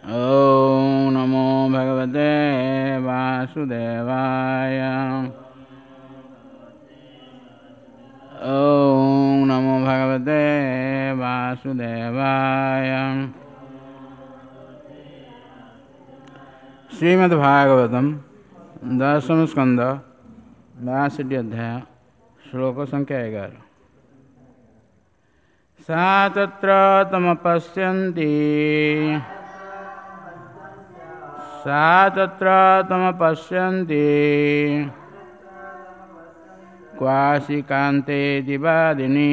ॐ नमो भगवते वासुदेवाय। ॐ नमो भगवते वासुदेवाय। श्रीमद्भागवतम दशम स्कंद 62 अध्याय श्लोक संख्या 11। सा तत्र तमपश्यन्ति, सा तत्र तमपश्यन्ति क्वासि कान्ते दिवादिनी,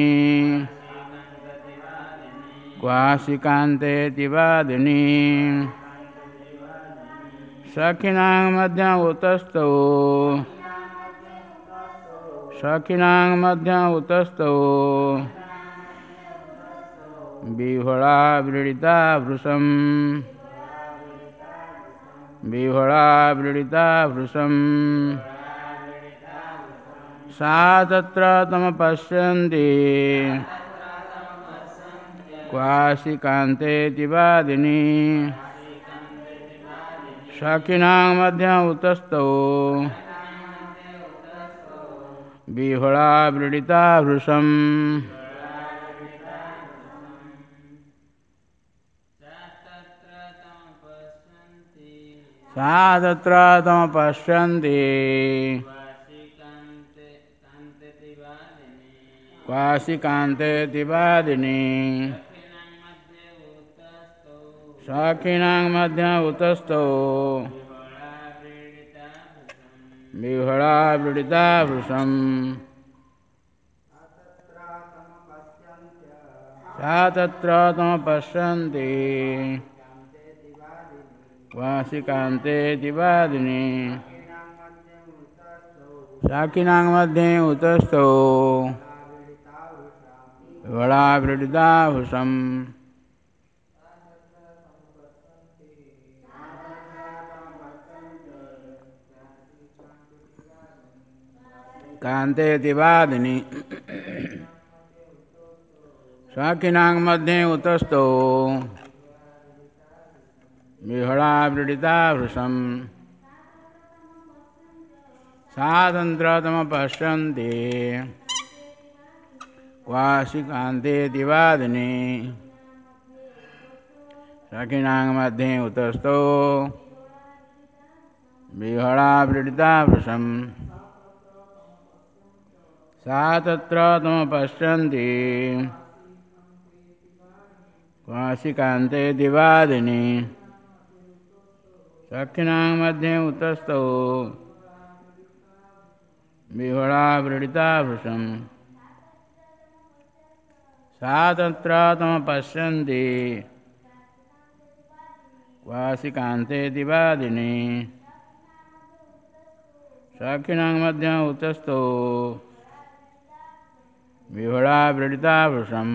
क्वासि कान्ते दिवादिनी। सखिनां मध्य उतस्थौ, सखिनां मध्य उतस्थौ विह्वला व्रीडिता भृशं, विह्वला व्रीडिता भृशं। सा तत्र तमपश्यन्ति क्वासि कान्ते दिवादिनी, सखिनां मध्य उतस्थौ विह्वला व्रीडिता भृशं। सा तत्र तमपश्यन्ति क्वासि कान्ते दिवादिनी, सखिनां मध्य उतस्थौ विह्वला व्रीडिता भृशं। सा तत्र तमपश्यन्ति क्वासि कान्ते दिवादिनी, सखिनां मध्ये उतस्थौ विह्वला व्रीडिता भृशं। कान्ते दिवादिनी, सखिनां मध्ये उतस्थौ विह्वला व्रीडिता भृशं। सा तत्र तमपश्यन्ति क्वासि कान्ते दिवादिनी, सखिनां मध्ये उतस्थौ विह्वला व्रीडिता भृशं। सा तत्र तमपश्यन्ति क्वासि कान्ते दिवादिनी, सखिनां मध्ये उतस्थौ विह्वला व्रीडिता भृशं। सा तत्र तमपश्यन्ति क्वासि कान्ते दिवादिनी, सखिनां मध्ये उतस्थौ विह्वला व्रीडिता भृशं।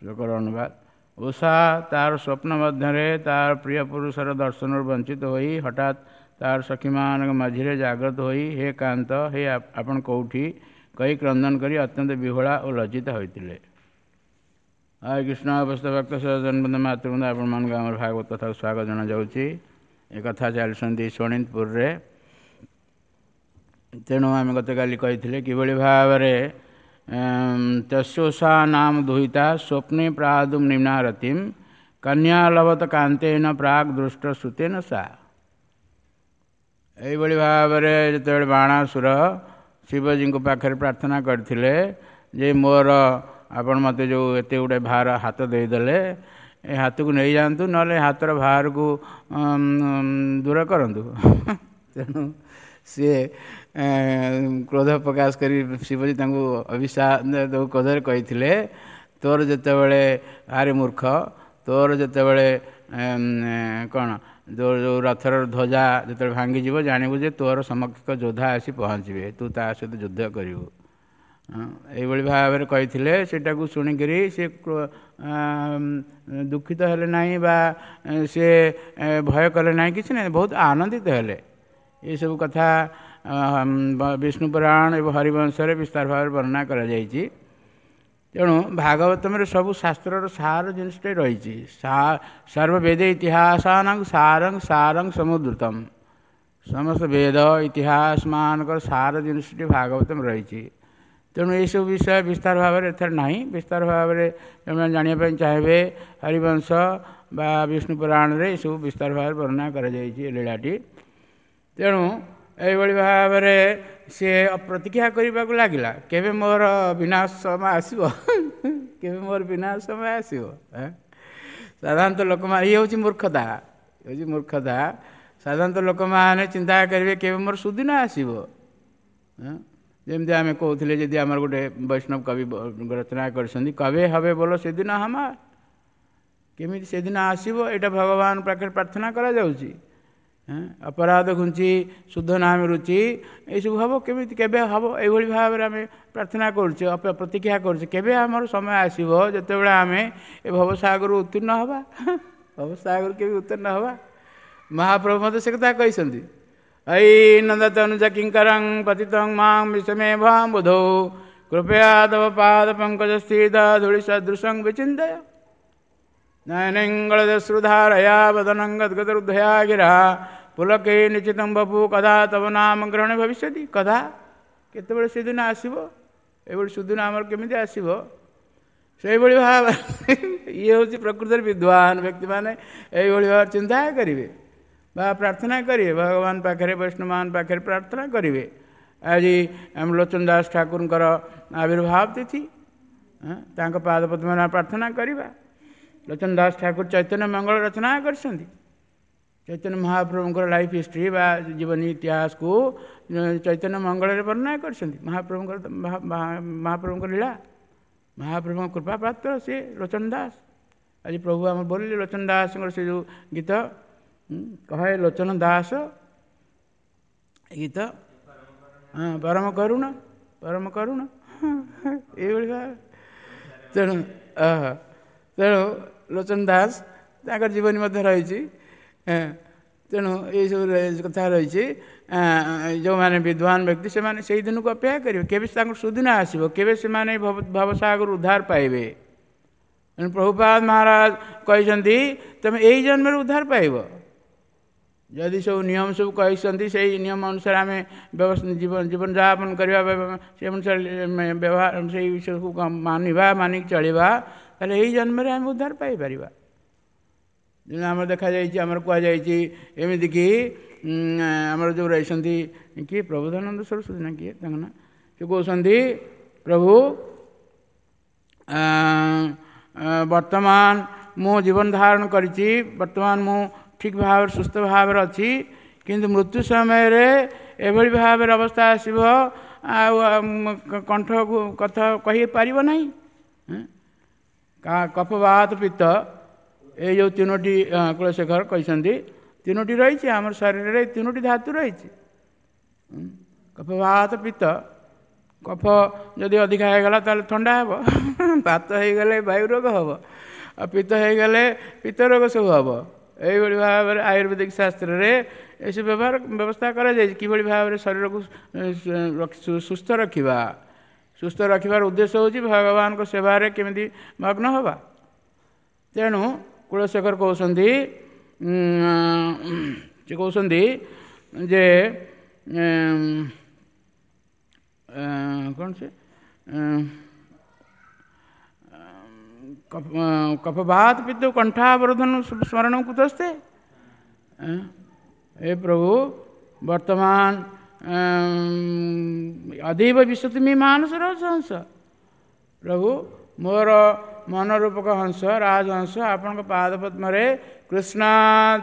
ଶ୍ଲୋକର ଅନୁବାଦ। ଉଷା ତାର ସ୍ୱପ୍ନ ମଧ୍ୟରେ ତାର ପ୍ରିୟ ପୁରୁଷର ଦର୍ଶନରୁ ବଞ୍ଚିତ ହୋଇ ହଠାତ୍ ତାର ସଖୀମାନଙ୍କ ମଝିରେ ଜାଗ୍ରତ ହୋଇ ହେ କାନ୍ତ, ହେ ଆପଣ କୋଉଠି କହି କ୍ରନ୍ଦନ କରି ଅତ୍ୟନ୍ତ ବିହ୍ୱଳା ଓ ଲଜ୍ଜିତ ହୋଇଥିଲେ। ହରେ କୃଷ୍ଣ। ଅବସ୍ଥା ଭକ୍ତ ସଜନବୃନ୍ଦ ମାତୃବୃନ୍ଦ, ଆପଣମାନଙ୍କୁ ଆମର ଭାଗବତ କଥାକୁ ସ୍ୱାଗତ ଜଣାଯାଉଛି। ଏ କଥା ଚାଲିଛନ୍ତି ଶୋଣିତପୁରରେ। ତେଣୁ ଆମେ ଗତକାଲି କହିଥିଲେ କିଭଳି ଭାବରେ ତସ୍ୟୋଷା ନାମ ଦୁହିତା ସ୍ୱପ୍ନେ ପ୍ରାଦୁମ୍ ନିମ୍ନାରତିମ୍ କନ୍ୟା ଲଭତ କାନ୍ତେନ ପ୍ରାକ୍ ଦୃଷ୍ଟ ଶ୍ରୁତେନ ସା। ଏଇଭଳି ଭାବରେ ଯେତେବେଳେ ବାଣାସୁର ଶିବଜୀଙ୍କ ପାଖରେ ପ୍ରାର୍ଥନା କରିଥିଲେ ଯେ ମୋର ଆପଣ ମୋତେ ଯେଉଁ ଏତେ ଗୁଡ଼େ ଭାର ହାତ ଦେଇଦେଲେ, ଏ ହାତକୁ ନେଇଯାଆନ୍ତୁ, ନହେଲେ ହାତର ଭାରକୁ ଦୂର କରନ୍ତୁ। ତେଣୁ ସିଏ କ୍ରୋଧ ପ୍ରକାଶ କରି ଶିବଜୀ ତାଙ୍କୁ ଅଭିଶାପ କ୍ରୋଧରେ କହିଥିଲେ, ତୋର ଯେତେବେଳେ ଆରେ ମୂର୍ଖ, ତୋର ଯେତେବେଳେ କ'ଣ ଯେଉଁ ରଥର ଧ୍ୱଜା ଯେତେବେଳେ ଭାଙ୍ଗିଯିବ, ଜାଣିବୁ ଯେ ତୋର ସମକକ୍ଷ ଯୋଦ୍ଧା ଆସି ପହଞ୍ଚିବେ, ତୁ ତା ସହିତ ଯୁଦ୍ଧ କରିବୁ। ଏଇଭଳି ଭାବରେ କହିଥିଲେ। ସେଇଟାକୁ ଶୁଣିକରି ସେ ଦୁଃଖିତ ହେଲେ ନାହିଁ ବା ସେ ଭୟ କଲେ ନାହିଁ, କିଛି ନାହିଁ, ବହୁତ ଆନନ୍ଦିତ ହେଲେ। ଏସବୁ କଥା ବିଷ୍ଣୁ ପୁରାଣ ଏବଂ ହରିବଂଶରେ ବିସ୍ତାର ଭାବରେ ବର୍ଣ୍ଣନା କରାଯାଇଛି। ତେଣୁ ଭାଗବତମରେ ସବୁ ଶାସ୍ତ୍ରର ସାର ଜିନିଷଟେ ରହିଛି। ସର୍ବବେଦ ଇତିହାସାନାଂ ସାରଂ ସାରଂ ସମୁଦ୍ରତମ, ସମସ୍ତ ବେଦ ଇତିହାସ ମାନଙ୍କର ସାର ଜିନିଷଟି ଭାଗବତମ ରହିଛି। ତେଣୁ ଏହିସବୁ ବିଷୟ ବିସ୍ତାର ଭାବରେ ଏଥିରେ ନାହିଁ। ବିସ୍ତାର ଭାବରେ ଯେଉଁମାନେ ଜାଣିବା ପାଇଁ ଚାହିଁବେ ହରିବଂଶ ବା ବିଷ୍ଣୁ ପୁରାଣରେ ଏସବୁ ବିସ୍ତାର ଭାବରେ ବର୍ଣ୍ଣନା କରାଯାଇଛି ଏ ଲୀଳାଟି। ତେଣୁ ଏଇଭଳି ଭାବରେ ସିଏ ପ୍ରତୀକ୍ଷା କରିବାକୁ ଲାଗିଲା, କେବେ ମୋର ବିନାଶ ସମୟ ଆସିବ, କେବେ ମୋର ବିନାଶ ସମୟ ଆସିବ। ସାଧାରଣତଃ ଲୋକମାନେ, ଇଏ ହେଉଛି ମୂର୍ଖତା, ଇଏ ହେଉଛି ମୂର୍ଖତା। ସାଧାରଣତଃ ଲୋକମାନେ ଚିନ୍ତା କରିବେ କେବେ ମୋର ସୁଦିନ ଆସିବ। ଯେମିତି ଆମେ କହୁଥିଲେ, ଯଦି ଆମର ଗୋଟେ ବୈଷ୍ଣବ କବି ରଚନା କରିଛନ୍ତି, କବେ ହବେ ବୋଲ ସେଦିନ ହମାର, କେମିତି ସେଦିନ ଆସିବ, ଏଇଟା ଭଗବାନ ପାଖରେ ପ୍ରାର୍ଥନା କରାଯାଉଛି। ଅପରାଧ ଘୁଞ୍ଚି ଶୁଦ୍ଧ ନାମ ରୁଚି, ଏଇସବୁ ହେବ କେମିତି, କେବେ ହେବ, ଏଇଭଳି ଭାବରେ ଆମେ ପ୍ରାର୍ଥନା କରୁଛେ, ପ୍ରତୀକ୍ଷା କରୁଛେ କେବେ ଆମର ସମୟ ଆସିବ ଯେତେବେଳେ ଆମେ ଏ ଭବସାଗରରୁ ଉତ୍ତୀର୍ଣ୍ଣ ହେବା। ଭବସାଗରରୁ କେବେ ଉତ୍ତୀର୍ଣ୍ଣ ହେବା? ମହାପ୍ରଭୁ ମଧ୍ୟ ସେ କଥା କହିଛନ୍ତି, ଏଇ ନନ୍ଦ ତନୁଜ କିଙ୍କରଂ ପତିତଂ ମାଁ ବିଷମେ ଭାଁ ବୁଧୌ କୃପୟା ତବ ପାଦ ପଙ୍କଜ ସ୍ଥିତ ଧୂଳି ସଦୃଶଂ ବିଚିନ୍ତୟ ନୟନଙ୍ଗଳଦଶ୍ରୁଧାରୟା ବଦନଂ ଗଦ୍ଗଦରୁଦ୍ଧୟା ଗିରା ପୁଲକେ ନିଚିତଂ ବପୁ କଦା ତବ ନାମ ଗ୍ରହଣ ଭବିଷ୍ୟତି। କଦା, କେତେବେଳେ ସେଦିନ ଆସିବ, ଏଭଳି ସୁଦିନ ଆମର କେମିତି ଆସିବ? ସେଇଭଳି ଭାବରେ ଇଏ ହେଉଛି ପ୍ରକୃତରେ ବିଦ୍ୱାନ ବ୍ୟକ୍ତିମାନେ ଏଇଭଳି ଭାବରେ ଚିନ୍ତା କରିବେ ବା ପ୍ରାର୍ଥନା କରିବେ, ଭଗବାନ ପାଖରେ, ବୈଷ୍ଣବମାନ ପାଖରେ ପ୍ରାର୍ଥନା କରିବେ। ଆଜି ଆମ ଲୋଚନ ଦାସ ଠାକୁରଙ୍କର ଆବିର୍ଭାବ ତିଥି, ତାଙ୍କ ପାଦ ପଦ୍ମରେ ପ୍ରାର୍ଥନା କରିବା। ଲୋଚନ ଦାସ ଠାକୁର ଚୈତନ୍ୟ ମଙ୍ଗଳ ରଚନା କରିଛନ୍ତି। ଚୈତନ୍ୟ ମହାପ୍ରଭୁଙ୍କର ଲାଇଫ୍ ହିଷ୍ଟ୍ରି ବା ଜୀବନୀ ଇତିହାସକୁ ଚୈତନ୍ୟ ମଙ୍ଗଳରେ ବର୍ଣ୍ଣନା କରିଛନ୍ତି। ମହାପ୍ରଭୁଙ୍କ ଲୀଳା, ମହାପ୍ରଭୁଙ୍କ କୃପା ପାତ୍ର ସେ ଲୋଚନ ଦାସ। ଆଜି ପ୍ରଭୁ ଆମର ବୋଲିଲେ ଲୋଚନ ଦାସଙ୍କର ସେ ଯେଉଁ ଗୀତ, କହେ ଲୋଚନ ଦାସ ଗୀତ, ହଁ, ପରମ କରୁଣ, ପରମ କରୁଣ, ଏଇଭଳି ଭାବେ। ତେଣୁ ତେଣୁ ଲୋଚନ ଦାସ ତାଙ୍କର ଜୀବନୀ ମଧ୍ୟ ରହିଛି। ତେଣୁ ଏଇସବୁ କଥା ରହିଛି। ଯେଉଁମାନେ ବିଦ୍ୱାନ ବ୍ୟକ୍ତି ସେମାନେ ସେଇ ଦିନକୁ ଅପେକ୍ଷା କରିବେ, କେବେ ତାଙ୍କର ସୁଦିନ ଆସିବ, କେବେ ସେମାନେ ଭବସାଗରରୁ ଉଦ୍ଧାର ପାଇବେ। ତେଣୁ ପ୍ରଭୁପାଦ ମହାରାଜ କହିଛନ୍ତି, ତୁମେ ଏଇ ଜନ୍ମରେ ଉଦ୍ଧାର ପାଇବ। ଯଦି ସବୁ ନିୟମ ସବୁ କହିଛନ୍ତି, ସେଇ ନିୟମ ଅନୁସାରେ ଆମେ ଜୀବନଯାପନ କରିବା, ସେ ଅନୁସାରେ ବ୍ୟବହାର, ସେଇ ସବୁ ମାନିବା, ମାନିକି ଚଳିବା, ତାହେଲେ ଏଇ ଜନ୍ମରେ ଆମେ ଉଦ୍ଧାର ପାଇପାରିବା। ଯେମିତି ଆମର ଦେଖାଯାଇଛି, ଆମର କୁହାଯାଇଛି ଏମିତିକି ଆମର ଯେଉଁ ରହିଛନ୍ତି କିଏ ପ୍ରବୋଧାନନ୍ଦ ସରସ୍ୱତୀ ନା କିଏ ତାଙ୍କ ନାଁ, ସେ କହୁଛନ୍ତି ପ୍ରଭୁ ବର୍ତ୍ତମାନ ମୁଁ ଜୀବନ ଧାରଣ କରିଛି, ବର୍ତ୍ତମାନ ମୁଁ ଠିକ୍ ଭାବରେ ସୁସ୍ଥ ଭାବରେ ଅଛି, କିନ୍ତୁ ମୃତ୍ୟୁ ସମୟରେ ଏଭଳି ଭାବରେ ଅବସ୍ଥା ଆସିବ ଆଉ କଣ୍ଠକୁ କଥା କହିପାରିବ ନାହିଁ। କଫବାତ ପିତ୍ତ, ଏଇ ଯେଉଁ ତିନୋଟି କୁଳଶେଖର କହିଛନ୍ତି, ତିନୋଟି ରହିଛି ଆମର ଶରୀରରେ, ତିନୋଟି ଧାତୁ ରହିଛି, କଫବାତ ପିତ୍ତ। କଫ ଯଦି ଅଧିକା ହେଇଗଲା ତାହେଲେ ଥଣ୍ଡା ହେବ, ବାତ ହେଇଗଲେ ବାୟୁ ରୋଗ ହେବ, ଆଉ ପିତ୍ତ ହେଇଗଲେ ପିତ୍ତ ରୋଗ ସବୁ ହେବ। ଏଇଭଳି ଭାବରେ ଆୟୁର୍ବେଦିକ ଶାସ୍ତ୍ରରେ ଏସବୁ ବ୍ୟବହାର ବ୍ୟବସ୍ଥା କରାଯାଇଛି, କିଭଳି ଭାବରେ ଶରୀରକୁ ସୁସ୍ଥ ରଖିବା। ସୁସ୍ଥ ରଖିବାର ଉଦ୍ଦେଶ୍ୟ ହେଉଛି ଭଗବାନଙ୍କ ସେବାରେ କେମିତି ମଗ୍ନ ହେବା। ତେଣୁ କୁଳଶେଖର କହୁଛନ୍ତି, ସେ କହୁଛନ୍ତି ଯେ କ'ଣ ସେ କଫବାତ ପିତ୍ତ କଣ୍ଠାବରୋଧନ ସ୍ମରଣ କୁତସ୍ତେ। ଏ ପ୍ରଭୁ ବର୍ତ୍ତମାନ ଅଧିବ ବିଶ୍ୱତମୀ ମାନସ ରହଂସ, ପ୍ରଭୁ ମୋର ମନରୂପକ ହଂସ ରାଜହଂସ ଆପଣଙ୍କ ପାଦ ପଦ୍ମରେ କୃଷ୍ଣ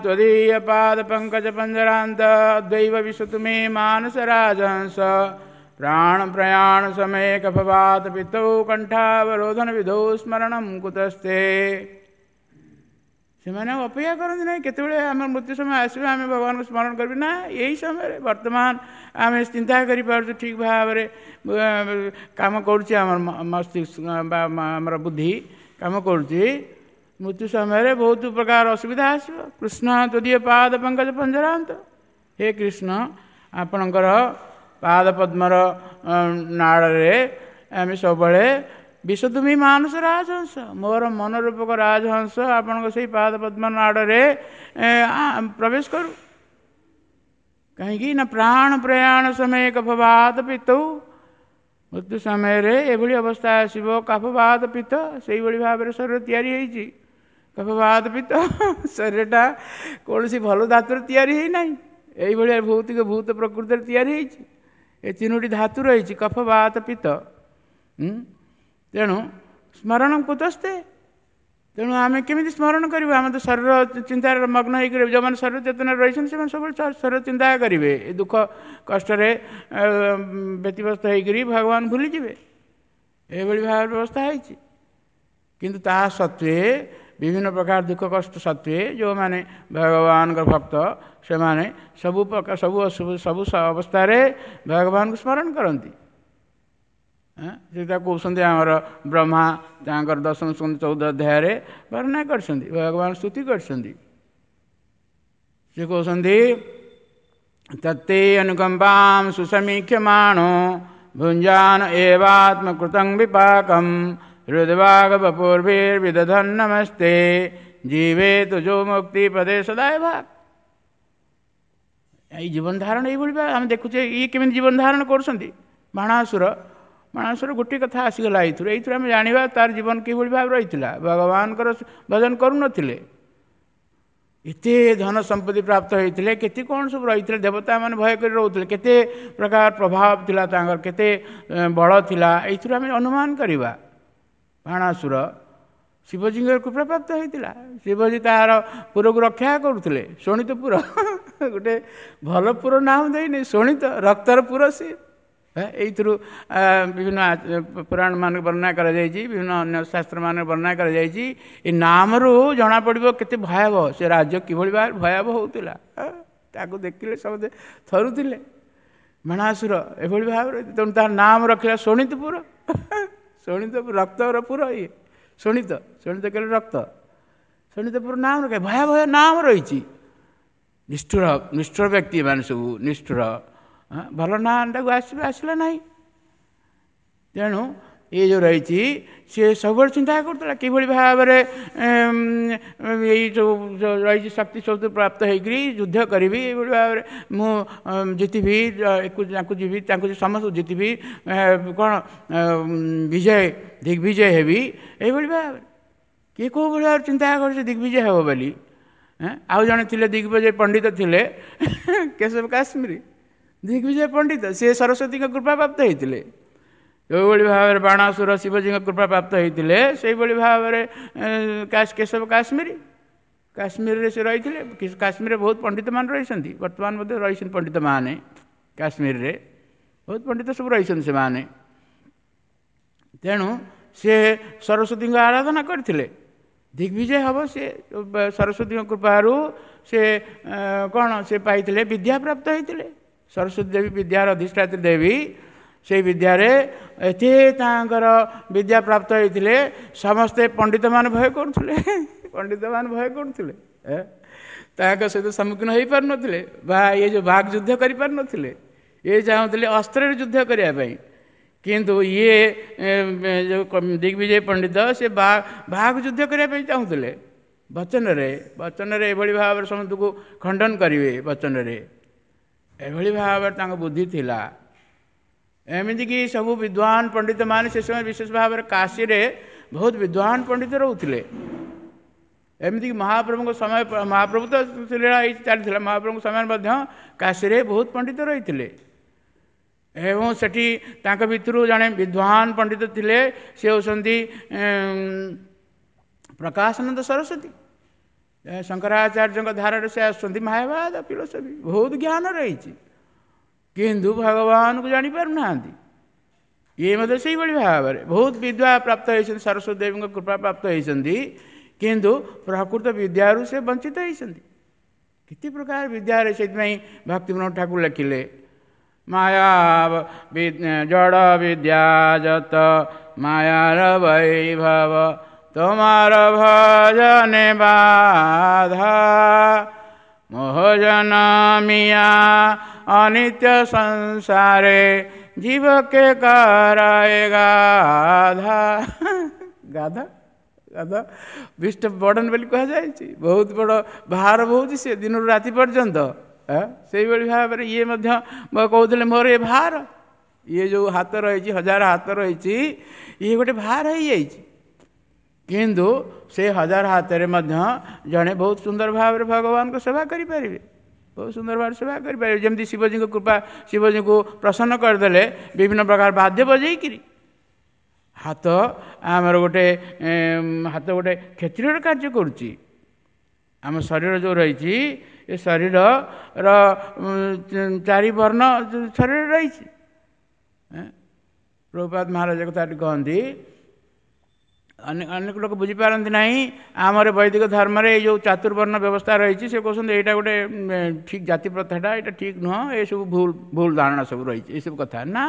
ତ୍ୱଦୀୟ ପାଦ ପଙ୍କଜ ପଞ୍ଜରାନ୍ତ ଦୈବ ବିଶ୍ୱତମୀ ମାନସ ରାଜହଂସ ପ୍ରାଣ ପ୍ରୟାଣ ସମୟ କଫବାତ ପିତೌ କଣ୍ଠାବରୋଧନ ବିଧौ ସ୍ମରଣಂ କୁତସ୍ତେ। ସେମାନେ ଆଉ ଅପେକ୍ଷା କରନ୍ତି ନାହିଁ କେତେବେଳେ ଆମର ମୃତ୍ୟୁ ସମୟ ଆସିବ ଆମେ ଭଗବାନଙ୍କୁ ସ୍ମରଣ କରିବୁ ନା। ଏଇ ସମୟରେ ବର୍ତ୍ତମାନ ଆମେ ଚିନ୍ତା କରିପାରୁଛୁ, ଠିକ୍ ଭାବରେ କାମ କରୁଛି ଆମର ମସ୍ତିଷ୍କ ବା ଆମର ବୁଦ୍ଧି କାମ କରୁଛି। ମୃତ୍ୟୁ ସମୟରେ ବହୁତ ପ୍ରକାର ଅସୁବିଧା ଆସିବ। କୃଷ୍ଣ ତଦୀୟ ପାଦ ପଙ୍କଜ ପଞ୍ଜରାନ୍ତ, ହେ କୃଷ୍ଣ ଆପଣଙ୍କର ପାଦ ପଦ୍ମର ନାଳରେ ଆମେ ସବୁବେଳେ ବିଷତୁମି ମାନସ ରାଜହଂସ, ମୋର ମନ ରୂପକ ରାଜହଂସ ଆପଣଙ୍କ ସେଇ ପାଦ ପଦ୍ମ ନାଡ଼ରେ ପ୍ରବେଶ କରୁ। କାହିଁକି ନା ପ୍ରାଣ ପ୍ରୟାଣ ସମୟ କଫବାତ ପିତଉ, ମୃତ୍ୟୁ ସମୟରେ ଏଭଳି ଅବସ୍ଥା ଆସିବ, କଫବାତ ପିତ୍ତ, ସେଇଭଳି ଭାବରେ ଶରୀର ତିଆରି ହେଇଛି। କଫବାତ ପିତ୍ତ, ଶରୀରଟା କୌଣସି ଭଲ ଧାତୁରେ ତିଆରି ହେଇନାହିଁ, ଏଇଭଳିଆ ଭୌତିକ ଭୂତ ପ୍ରକୃତିରେ ତିଆରି ହେଇଛି। ଏ ତିନୋଟି ଧାତୁ ରହିଛି, କଫ ବାତ ପିତ୍ତ। ତେଣୁ ସ୍ମରଣ କୁତସ୍ତେ, ତେଣୁ ଆମେ କେମିତି ସ୍ମରଣ କରିବୁ? ଆମେ ତ ଶରୀର ଚିନ୍ତାରେ ମଗ୍ନ ହେଇକରି, ଯେଉଁମାନେ ଶରୀର ଚେତନାରେ ରହିଛନ୍ତି ସେମାନେ ସବୁବେଳେ ଶରୀର ଚିନ୍ତା କରିବେ, ଏ ଦୁଃଖ କଷ୍ଟରେ ବ୍ୟତିବ୍ୟସ୍ତ ହେଇକରି ଭଗବାନ ଭୁଲିଯିବେ। ଏଭଳି ଭାବରେ ବ୍ୟବସ୍ଥା ହେଇଛି। କିନ୍ତୁ ତା ସତ୍ତ୍ୱେ, ବିଭିନ୍ନ ପ୍ରକାର ଦୁଃଖ କଷ୍ଟ ସତ୍ତ୍ୱେ, ଯେଉଁମାନେ ଭଗବାନଙ୍କ ଭକ୍ତ ସେମାନେ ସବୁ ପ୍ରକାର ସବୁ ସବୁ ଅବସ୍ଥାରେ ଭଗବାନଙ୍କୁ ସ୍ମରଣ କରନ୍ତି। ସେଇଟା କହୁଛନ୍ତି ଆମର ବ୍ରହ୍ମା ତାଙ୍କର ଦଶମ ସ୍କନ୍ଧ 14 ଅଧ୍ୟାୟରେ ବର୍ଣ୍ଣନା କରିଛନ୍ତି, ଭଗବାନ ସ୍ତୁତି କରିଛନ୍ତି। ସେ କହୁଛନ୍ତି ତତ୍ତେ ଅନୁକମ୍ପାಂ ସୁସମୀକ୍ଷମାଣୋ ଭୁଞ୍ଜାନ ଏବାତ୍ମକୃତଂ ବିପାକಂ ହୃଦବାଗବପୂର୍ଭିର୍ବିଦଧନ୍ ନମସ୍ତେ ଜୀବେ ତୁଜୋ ମୁକ୍ତି ପଦେ ସଦାୟ ଭାଗ। ଏଇ ଜୀବନ ଧାରଣ ଏଇଭଳି ଆମେ ଦେଖୁଛେ, ଇଏ କେମିତି ଜୀବନ ଧାରଣ କରୁଛନ୍ତି ବାଣାସୁର। ବାଣାସୁର ଗୋଟିଏ କଥା ଆସିଗଲା ଏଇଥିରୁ, ଏଇଥିରୁ ଆମେ ଜାଣିବା ତାର ଜୀବନ କିଭଳି ଭାବେ ରହିଥିଲା। ଭଗବାନଙ୍କର ଭଜନ କରୁନଥିଲେ, ଏତେ ଧନ ସମ୍ପତ୍ତି ପ୍ରାପ୍ତ ହେଇଥିଲେ, କେତେ କ'ଣ ସବୁ ରହିଥିଲେ, ଦେବତାମାନେ ଭୟ କରି ରହୁଥିଲେ, କେତେ ପ୍ରକାର ପ୍ରଭାବ ଥିଲା ତାଙ୍କର, କେତେ ବଳ ଥିଲା, ଏଇଥିରୁ ଆମେ ଅନୁମାନ କରିବା। ବାଣାସୁର ଶିବଜୀଙ୍କର କୃପା ପ୍ରାପ୍ତ ହେଇଥିଲା, ଶିବଜୀ ତାହାର ପୁରକୁ ରକ୍ଷା କରୁଥିଲେ। ଶୋଣିତ ପୁର, ଗୋଟେ ଭଲ ପୁର ନାମ ଦେଇନି, ଶୋଣିତ ରକ୍ତର ପୁର ସିଏ। ଏଇଥିରୁ ବିଭିନ୍ନ ପୁରାଣ ମାନଙ୍କୁ ବର୍ଣ୍ଣନା କରାଯାଇଛି, ବିଭିନ୍ନ ଅନ୍ୟ ଶାସ୍ତ୍ରମାନଙ୍କୁ ବର୍ଣ୍ଣନା କରାଯାଇଛି। ଏ ନାମରୁ ଜଣାପଡ଼ିବ କେତେ ଭୟାବହ ସେ ରାଜ୍ୟ, କିଭଳି ଭାବରେ ଭୟାବହ ହେଉଥିଲା, ତାକୁ ଦେଖିଲେ ସମସ୍ତେ ଥରୁଥିଲେ। ବାଣାସୁର ଏଭଳି ଭାବରେ, ତେଣୁ ତାର ନାମ ରଖିଲା ଶୋଣିତପୁର। ଶୋଣିତ ରକ୍ତର ପୁର ଇଏ, ଶୋଣିତ, ଶୋଣିତ କହିଲେ ରକ୍ତ, ଶୋଣିତପୁର ନାମ ରଖେ, ଭୟାବହ ନାମ ରହିଛି। ନିଷ୍ଠୁର, ନିଷ୍ଠୁର ବ୍ୟକ୍ତି ଏମାନେ ସବୁ ନିଷ୍ଠୁର, ଭଲ ନାଁଟାକୁ ଆସିବେ ଆସିଲା ନାହିଁ। ତେଣୁ ଇଏ ଯେଉଁ ରହିଛି ସିଏ ସବୁବେଳେ ଚିନ୍ତା କରୁଥିଲା କିଭଳି ଭାବରେ ଏଇ ଯେଉଁ ରହିଛି ଶକ୍ତି ସବୁ ପ୍ରାପ୍ତ ହେଇକରି ଯୁଦ୍ଧ କରିବି, ଏଇଭଳି ଭାବରେ ମୁଁ ଜିତିବି, ତାଙ୍କୁ ଯିବି, ତାଙ୍କୁ ସମସ୍ତଙ୍କୁ ଜିତିବି, କ'ଣ ବିଜୟ ଦିଗ୍ବିଜୟ ହେବି, ଏଇଭଳି ଭାବରେ କିଏ କେଉଁ ଭଳି ଭାବରେ ଚିନ୍ତା କରୁଛି ଦିଗ୍ବିଜୟ ହେବ ବୋଲି। ଆଉ ଜଣେ ଥିଲେ ଦିଗ୍ବିଜୟ ପଣ୍ଡିତ ଥିଲେ, କେଶବ କାଶ୍ମୀରୀ ଦିଗ୍ବିଜୟ ପଣ୍ଡିତ, ସିଏ ସରସ୍ୱତୀଙ୍କ କୃପା ପ୍ରାପ୍ତ ହେଇଥିଲେ। ଯେଉଁଭଳି ଭାବରେ ବାଣାସୁର ଶିବଜୀଙ୍କ କୃପା ପ୍ରାପ୍ତ ହେଇଥିଲେ, ସେଇଭଳି ଭାବରେ କେଶବ କାଶ୍ମୀରୀ କାଶ୍ମୀରରେ ସେ ରହିଥିଲେ। କାଶ୍ମୀରରେ ବହୁତ ପଣ୍ଡିତମାନେ ରହିଛନ୍ତି, ବର୍ତ୍ତମାନ ମଧ୍ୟ ରହିଛନ୍ତି ପଣ୍ଡିତମାନେ, କାଶ୍ମୀରରେ ବହୁତ ପଣ୍ଡିତ ସବୁ ରହିଛନ୍ତି ସେମାନେ। ତେଣୁ ସେ ସରସ୍ୱତୀଙ୍କ ଆରାଧନା କରିଥିଲେ, ଦିଗ୍ବିଜୟ ହେବ ସେ ସରସ୍ୱତୀଙ୍କ କୃପାରୁ ସେ କ'ଣ ସେ ପାଇଥିଲେ, ବିଦ୍ୟା ପ୍ରାପ୍ତ ହେଇଥିଲେ। ସରସ୍ୱତୀ ଦେବୀ ବିଦ୍ୟାର ଅଧିଷ୍ଠାତ୍ରୀ ଦେବୀ, ସେଇ ବିଦ୍ୟାରେ ଏତେ ତାଙ୍କର ବିଦ୍ୟା ପ୍ରାପ୍ତ ହେଇଥିଲେ, ସମସ୍ତେ ପଣ୍ଡିତମାନେ ଭୟ କରୁଥିଲେ, ପଣ୍ଡିତମାନେ ଭୟ କରୁଥିଲେ, ତାଙ୍କ ସହିତ ସମ୍ମୁଖୀନ ହେଇପାରୁନଥିଲେ ବା ଇଏ ଯେଉଁ ବାଘ ଯୁଦ୍ଧ କରିପାରୁନଥିଲେ। ଇଏ ଚାହୁଁଥିଲେ ଅସ୍ତ୍ରରେ ଯୁଦ୍ଧ କରିବା ପାଇଁ, କିନ୍ତୁ ଇଏ ଯେଉଁ ଦିଗ୍ବିଜୟ ପଣ୍ଡିତ ସେ ବାଘ ଯୁଦ୍ଧ କରିବା ପାଇଁ ଚାହୁଁଥିଲେ ବଚନରେ, ବଚନରେ ଏଭଳି ଭାବରେ ସମସ୍ତଙ୍କୁ ଖଣ୍ଡନ କରିବେ ବଚନରେ, ଏଭଳି ଭାବରେ ତାଙ୍କ ବୁଦ୍ଧି ଥିଲା। ଏମିତିକି ସବୁ ବିଦ୍ୱାନ ପଣ୍ଡିତମାନେ ସେ ସମୟ ବିଶେଷ ଭାବରେ କାଶୀରେ ବହୁତ ବିଦ୍ୱାନ ପଣ୍ଡିତ ରହୁଥିଲେ। ଏମିତିକି ମହାପ୍ରଭୁଙ୍କ ସମୟ, ମହାପ୍ରଭୁ ତ ଲୀଳା ହେଇ ଚାଲିଥିଲା, ମହାପ୍ରଭୁଙ୍କ ସମୟରେ ମଧ୍ୟ କାଶୀରେ ବହୁତ ପଣ୍ଡିତ ରହିଥିଲେ। ଏବଂ ସେଠି ତାଙ୍କ ଭିତରୁ ଜଣେ ବିଦ୍ୱାନ ପଣ୍ଡିତ ଥିଲେ, ସେ ହେଉଛନ୍ତି ପ୍ରକାଶାନନ୍ଦ ସରସ୍ୱତୀ। ଶଙ୍କରାଚାର୍ଯ୍ୟଙ୍କ ଧାରାରେ ସେ ଆସୁଛନ୍ତି, ମାୟାବାଦ ଫିଲୋସଫି ବହୁତ ଜ୍ଞାନ ରହିଛି, କିନ୍ତୁ ଭଗବାନଙ୍କୁ ଜାଣିପାରୁନାହାନ୍ତି। ଇଏ ମଧ୍ୟ ସେଇଭଳି ଭାବରେ ବହୁତ ବିଦ୍ୟା ପ୍ରାପ୍ତ ହେଇଛନ୍ତି, ସରସ୍ୱତୀ ଦେବୀଙ୍କ କୃପା ପ୍ରାପ୍ତ ହେଇଛନ୍ତି, କିନ୍ତୁ ପ୍ରକୃତ ବିଦ୍ୟାରୁ ସେ ବଞ୍ଚିତ ହେଇଛନ୍ତି। କେତେ ପ୍ରକାର ବିଦ୍ୟାରେ, ସେଇଥିପାଇଁ ଭକ୍ତିବିନୋଦ ଠାକୁର ଲେଖିଲେ ମାୟା ଜଡ଼ ବିଦ୍ୟା ଯତ ମାୟାର ବୈଭବ তোমার ভজনে বাধা মোহ জনমিয়া অনিত্য সংসারে ଜୀବ କେ କରାଏ ଗାଧା। ଗାଧା ଗାଧା ବିଷ୍ଟ ବର୍ଡ଼ନ ବୋଲି କୁହାଯାଇଛି। ବହୁତ ବଡ଼ ଭାର ବହୁଛି ସେ ଦିନରୁ ରାତି ପର୍ଯ୍ୟନ୍ତ। ସେଇଭଳି ଭାବରେ ଇଏ ମଧ୍ୟ କହୁଥିଲେ ମୋର ଏ ଭାର, ଇଏ ଯେଉଁ ହାତ ରହିଛି, ହଜାର ହାତ ରହିଛି, ଇଏ ଗୋଟେ ଭାର ହେଇଯାଇଛି। କିନ୍ତୁ ସେ ହଜାର ହାତରେ ମଧ୍ୟ ଜଣେ ବହୁତ ସୁନ୍ଦର ଭାବରେ ଭଗବାନଙ୍କ ସେବା କରିପାରିବେ, ବହୁତ ସୁନ୍ଦର ଭାବରେ ସେବା କରିପାରିବେ। ଯେମିତି ଶିବଜୀଙ୍କ କୃପା, ଶିବଜୀଙ୍କୁ ପ୍ରସନ୍ନ କରିଦେଲେ ବିଭିନ୍ନ ପ୍ରକାର ବାଦ୍ୟ ବଜେଇକିରି। ହାତ ଆମର ଗୋଟେ ହାତ ଗୋଟେ କ୍ଷତ୍ରିୟର କାର୍ଯ୍ୟ କରୁଛି। ଆମ ଶରୀର ଯେଉଁ ରହିଛି, ଏ ଶରୀରର ଚାରି ବର୍ଣ୍ଣ ଶରୀର ରହିଛି। ପ୍ରଭୁପାଦ ମହାରାଜ କଥା କହନ୍ତି, ଅନେକ ଲୋକ ବୁଝିପାରନ୍ତି ନାହିଁ ଆମର ବୈଦିକ ଧର୍ମରେ ଏଇ ଯେଉଁ ଚାତୁର୍ବର୍ଣ୍ଣ ବ୍ୟବସ୍ଥା ରହିଛି। ସେ କହୁଛନ୍ତି ଏଇଟା ଗୋଟେ ଠିକ୍ ଜାତି ପ୍ରଥାଟା, ଏଇଟା ଠିକ୍ ନୁହଁ, ଏସବୁ ଭୁଲ ଭୁଲ ଧାରଣା ସବୁ ରହିଛି, ଏସବୁ କଥା ନା।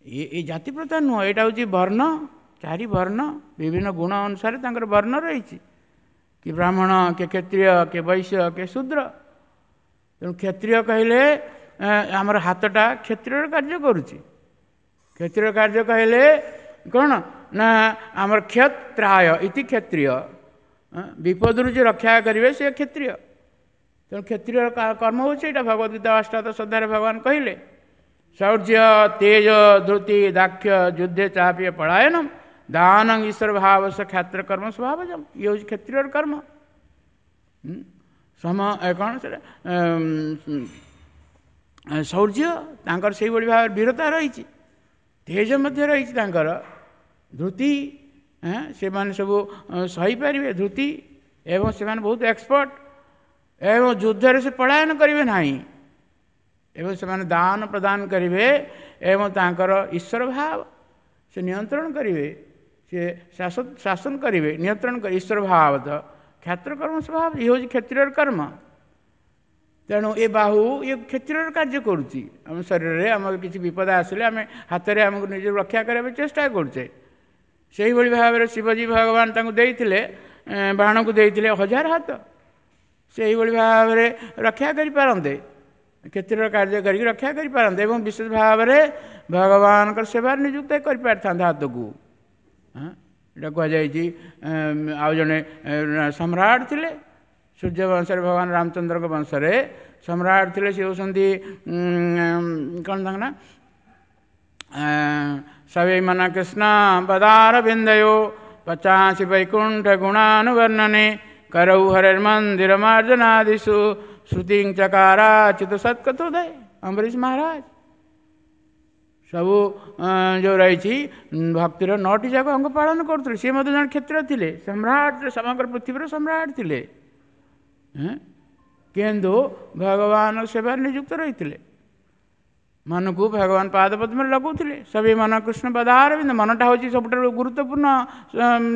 ଏ ଜାତି ପ୍ରଥା ନୁହଁ, ଏଇଟା ହେଉଛି ବର୍ଣ୍ଣ, ଚାରି ବର୍ଣ୍ଣ, ବିଭିନ୍ନ ଗୁଣ ଅନୁସାରେ ତାଙ୍କର ବର୍ଣ୍ଣ ରହିଛି। କି ବ୍ରାହ୍ମଣ, କିଏ କ୍ଷତ୍ରିୟ, କିଏ ବୈଶ୍ୟ, କିଏ ଶୂଦ୍ର। ତେଣୁ କ୍ଷତ୍ରିୟ କହିଲେ ଆମର ହାତଟା କ୍ଷତ୍ରିୟର କାର୍ଯ୍ୟ କରୁଛି। କ୍ଷତ୍ରିୟ କାର୍ଯ୍ୟ କହିଲେ କ'ଣ ନା ଆମର କ୍ଷତ୍ରାୟ ଇତି କ୍ଷତ୍ରିୟ, ବିପଦରୁ ଯେ ରକ୍ଷା କରିବେ ସେ କ୍ଷତ୍ରିୟ। ତେଣୁ କ୍ଷତ୍ରିୟର କର୍ମ ହେଉଛି ଏଇଟା। ଭଗବତ ଗୀତା ଅଷ୍ଟାଦଶ ଅଧ୍ୟାୟରେ ଭଗବାନ କହିଲେ, ଶୌର୍ଯ୍ୟ ତେଜ ଧୃତି ଦାକ୍ଷ୍ୟ ଯୁଦ୍ଧେ ଚାପିୟ ପଳାୟନମ ଦାନ ଈଶ୍ୱର ଭାବସ କ୍ଷାତ୍ର କର୍ମ ସ୍ୱଭାବଜମ। ଇଏ ହେଉଛି କ୍ଷତ୍ରିୟର କର୍ମ। ସମ କ'ଣ ସେଟା ଶୌର୍ଯ୍ୟ, ତାଙ୍କର ସେଇଭଳି ଭାବରେ ବୀରତା ରହିଛି, ତେଜ ମଧ୍ୟ ରହିଛି ତାଙ୍କର, ଧୃତି, ସେମାନେ ସବୁ ସହିପାରିବେ ଧୃତି, ଏବଂ ସେମାନେ ବହୁତ ଏକ୍ସପର୍ଟ, ଏବଂ ଯୁଦ୍ଧରେ ସେ ପଳାୟନ କରିବେ ନାହିଁ, ଏବଂ ସେମାନେ ଦାନ ପ୍ରଦାନ କରିବେ, ଏବଂ ତାଙ୍କର ଈଶ୍ୱର ଭାବ ସେ ନିୟନ୍ତ୍ରଣ କରିବେ, ସେ ଶାସନ କରିବେ, ନିୟନ୍ତ୍ରଣ କରିବେ, ଈଶ୍ୱର ଭାବ ତ କ୍ଷାତ୍ର କର୍ମ ସ୍ୱଭାବ। ଇଏ ହେଉଛି କ୍ଷତ୍ରିୟର କର୍ମ। ତେଣୁ ଏ ବାହୁ ଇଏ କ୍ଷତ୍ରିୟର କାର୍ଯ୍ୟ କରୁଛି। ଆମ ଶରୀରରେ ଆମର କିଛି ବିପଦ ଆସିଲେ ଆମେ ହାତରେ ଆମକୁ ନିଜକୁ ରକ୍ଷା କରିବା ପାଇଁ ଚେଷ୍ଟା କରୁଛେ। ସେଇଭଳି ଭାବରେ ଶିବଜୀ ଭଗବାନ ତାଙ୍କୁ ଦେଇଥିଲେ, ବାଣକୁ ଦେଇଥିଲେ ହଜାର ହାତ, ସେଇଭଳି ଭାବରେ ରକ୍ଷା କରିପାରନ୍ତେ, କ୍ଷତ୍ରିୟର କାର୍ଯ୍ୟ କରିକି ରକ୍ଷା କରିପାରନ୍ତେ, ଏବଂ ବିଶେଷ ଭାବରେ ଭଗବାନଙ୍କର ସେବାରେ ନିଯୁକ୍ତ କରିପାରିଥାନ୍ତେ ହାତକୁ। ଏଇଟା କୁହାଯାଇଛି। ଆଉ ଜଣେ ସମ୍ରାଟ ଥିଲେ ସୂର୍ଯ୍ୟ ବଂଶରେ, ଭଗବାନ ରାମଚନ୍ଦ୍ରଙ୍କ ବଂଶରେ ସମ୍ରାଟ ଥିଲେ, ସେ ହେଉଛନ୍ତି କ'ଣ ତାଙ୍କ ନା, ସବୈ ମନ କୃଷ୍ଣ ପଦାର ବିନ୍ଦୟୋ ପଚାଶି ବୈକୁଣ୍ଠ ଗୁଣାନୁବର୍ଣ୍ଣନେ କରৌ ହରେର୍ମନ୍ଦିର ମାର୍ଜନାଦିଷୁ ଶ୍ରୁତି ଚକାରାଚ୍ୟୁତ ସତ୍କଥୋଦୟ। ଅମ୍ବରୀଶ ମହାରାଜ ସବୁ ଯେଉଁ ରହିଛି ଭକ୍ତିର 9ଟି ଯାକ ଅଙ୍ଗ ପାଳନ କରୁଥିଲେ। ସିଏ ମଧ୍ୟ ଜଣେ କ୍ଷତ୍ରିୟ ଥିଲେ, ସମ୍ରାଟ, ସମଗ୍ର ପୃଥିବୀର ସମ୍ରାଟ ଥିଲେ, କିନ୍ତୁ ଭଗବାନ ସେବାରେ ନିଯୁକ୍ତ ରହିଥିଲେ। ମନକୁ ଭଗବାନ ପାଦ ପଦ୍ମରେ ଲଗାଉଥିଲେ। ସବେ ମନ କୃଷ୍ଣ ପଦାରବିନ୍ଦ। ମନଟା ହେଉଛି ସବୁଠାରୁ ଗୁରୁତ୍ୱପୂର୍ଣ୍ଣ,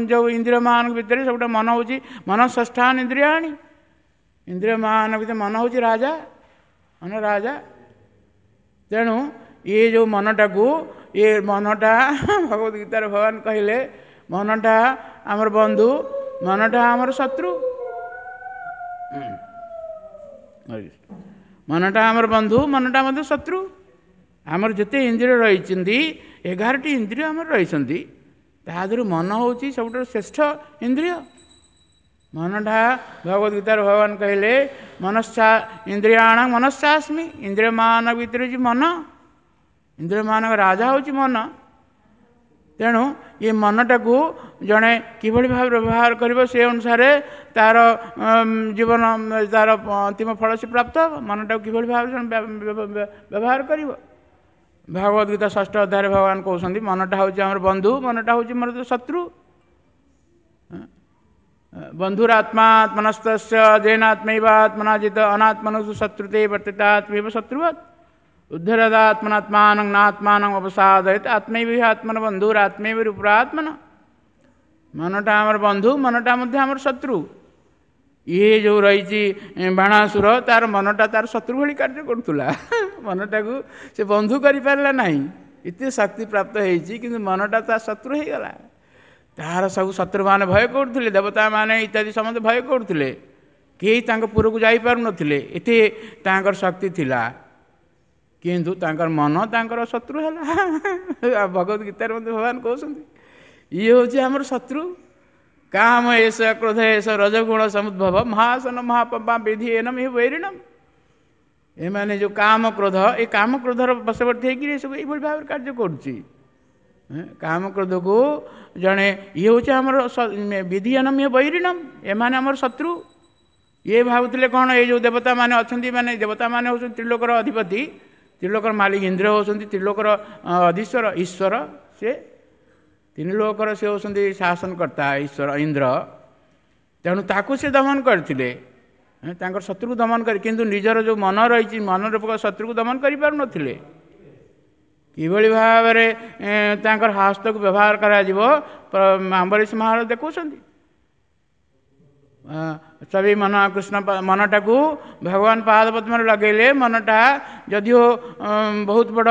ଯେଉଁ ଇନ୍ଦ୍ରିୟମାନଙ୍କ ଭିତରେ ସବୁଠାରୁ ମନ ହେଉଛି ମନ ଷଷ୍ଠାନ ଇନ୍ଦ୍ରିୟାଣି। ଇନ୍ଦ୍ରିୟମାନଙ୍କ ଭିତରେ ମନ ହେଉଛି ରାଜା, ମନ ରାଜା। ତେଣୁ ଇଏ ଯେଉଁ ମନଟାକୁ, ଇଏ ମନଟା ଭଗବତ ଗୀତାରେ ଭଗବାନ କହିଲେ ମନଟା ଆମର ବନ୍ଧୁ, ମନଟା ଆମର ଶତ୍ରୁ। ମନଟା ଆମର ବନ୍ଧୁ, ମନଟା ମଧ୍ୟ ଶତ୍ରୁ। ଆମର ଯେତେ ଇନ୍ଦ୍ରିୟ ରହିଛନ୍ତି, 11ଟି ଇନ୍ଦ୍ରିୟ ଆମର ରହିଛନ୍ତି, ତା ଦେହରୁ ମନ ହେଉଛି ସବୁଠାରୁ ଶ୍ରେଷ୍ଠ ଇନ୍ଦ୍ରିୟ। ମନଟା ଭଗବତ ଗୀତାରେ ଭଗବାନ କହିଲେ ମନସ୍ସା ଇନ୍ଦ୍ରିୟାଣ ମନସ୍ସାସ୍ମି। ଇନ୍ଦ୍ରିୟମାନଙ୍କ ଭିତରେ ହେଉଛି ମନ, ଇନ୍ଦ୍ରିୟମାନଙ୍କ ରାଜା ହେଉଛି ମନ। ତେଣୁ ଏ ମନଟାକୁ ଜଣେ କିଭଳି ଭାବରେ ବ୍ୟବହାର କରିବ ସେ ଅନୁସାରେ ତାର ଜୀବନ, ତାର ଅନ୍ତିମ ଫଳ ସେ ପ୍ରାପ୍ତ ହେବ। ମନଟାକୁ କିଭଳି ଭାବରେ ଜଣେ ବ୍ୟବହାର କରିବ, ଭଗବତ ଗୀତା 6ଷ୍ଠ ଅଧ୍ୟାୟରେ ଭଗବାନ କହୁଛନ୍ତି ମନଟା ହେଉଛି ଆମର ବନ୍ଧୁ, ମନଟା ହେଉଛି ମୋର ଶତ୍ରୁ। ବନ୍ଧୁରାତ୍ମାତ୍ମନସ୍ତସ୍ୟ ଜେନାତ୍ମୈବାତ୍ମନାଜିତ ଅନାତ୍ମନସୁ ଶତ୍ରୁତେ ବର୍ତ୍ତିତାତ୍ମୈବ ଶତ୍ରୁବତ୍ ଉଦ୍ଧରଦାତ୍ମନାତ୍ମାନଂ ନାତ୍ମାନଂ ଅବସାଦୟତ ଆତ୍ମୈବ ଆତ୍ମନ ବନ୍ଧୁରାତ୍ମୈବ ରୂପରାତ୍ମନ। ମନଟା ଆମର ବନ୍ଧୁ, ମନଟା ମଧ୍ୟ ଆମର ଶତ୍ରୁ। ଇଏ ଯେଉଁ ରହିଛି ବାଣାସୁର, ତାର ମନଟା ତାର ଶତ୍ରୁ ଭଳି କାର୍ଯ୍ୟ କରୁଥିଲା। ମନଟାକୁ ସେ ବନ୍ଧୁ କରିପାରିଲା ନାହିଁ, ଏତେ ଶକ୍ତି ପ୍ରାପ୍ତ ହେଇଛି, କିନ୍ତୁ ମନଟା ତା ଶତ୍ରୁ ହେଇଗଲା। ତାହାର ସବୁ ଶତ୍ରୁମାନେ ଭୟ କରୁଥିଲେ, ଦେବତାମାନେ ଇତ୍ୟାଦି ସମସ୍ତେ ଭୟ କରୁଥିଲେ, କେହି ତାଙ୍କ ପୁରକୁ ଯାଇପାରୁନଥିଲେ, ଏତେ ତାଙ୍କର ଶକ୍ତି ଥିଲା। କିନ୍ତୁ ତାଙ୍କର ମନ ତାଙ୍କର ଶତ୍ରୁ ହେଲା। ଭଗବତ ଗୀତାରେ ମଧ୍ୟ ଭଗବାନ କହୁଛନ୍ତି ଇଏ ହେଉଛି ଆମର ଶତ୍ରୁ। କାମ ଏସ କ୍ରୋଧ ଏସ ରଜଗୁଣ ସମୁଦ୍ଭବ ମହାସନ ମହାପମ୍ପା ବିଧି ଏନମ ହେ ବୈରିଣମ। ଏମାନେ ଯେଉଁ କାମ କ୍ରୋଧ, ଏ କାମ କ୍ରୋଧର ବଶବର୍ତ୍ତୀ ହେଇକିରି ଏସବୁ ଏଇଭଳି ଭାବରେ କାର୍ଯ୍ୟ କରୁଛି। କାମ କ୍ରୋଧକୁ ଜଣେ ଇଏ ହେଉଛି ଆମର ବିଧି ଏନମ ହେ ବୈରିଣମ, ଏମାନେ ଆମର ଶତ୍ରୁ। ଇଏ ଭାବୁଥିଲେ କ'ଣ ଏଇ ଯେଉଁ ଦେବତାମାନେ ଅଛନ୍ତି, ମାନେ ଦେବତାମାନେ ହେଉଛନ୍ତି ତ୍ରିଲୋକର ଅଧିପତି, ତ୍ରିଲୋକର ମାଲିକ ଇନ୍ଦ୍ର ହେଉଛନ୍ତି ତ୍ରିଲୋକର ଅଧୀଶ୍ୱର ଈଶ୍ୱର, ସେ ତିନି ଲୋକର ସେ ହେଉଛନ୍ତି ଶାସନକର୍ତ୍ତା ଈଶ୍ୱର ଇନ୍ଦ୍ର। ତେଣୁ ତାକୁ ସେ ଦମନ କରିଥିଲେ, ତାଙ୍କର ଶତ୍ରୁକୁ ଦମନ କରି, କିନ୍ତୁ ନିଜର ଯେଉଁ ମନ ରହିଛି ମନ ରୂପକ ଶତ୍ରୁକୁ ଦମନ କରିପାରୁନଥିଲେ। କିଭଳି ଭାବରେ ତାଙ୍କର ହସ୍ତକୁ ବ୍ୟବହାର କରାଯିବ ଆମ୍ବରୀଶ ମହାରାଜ ଦେଖାଉଛନ୍ତି। ସବି ମନ କୃଷ୍ଣ ମନଟାକୁ ଭଗବାନ ପାଦ ପଦ୍ମରେ ଲଗେଇଲେ ମନଟା ଯଦିଓ ବହୁତ ବଡ଼,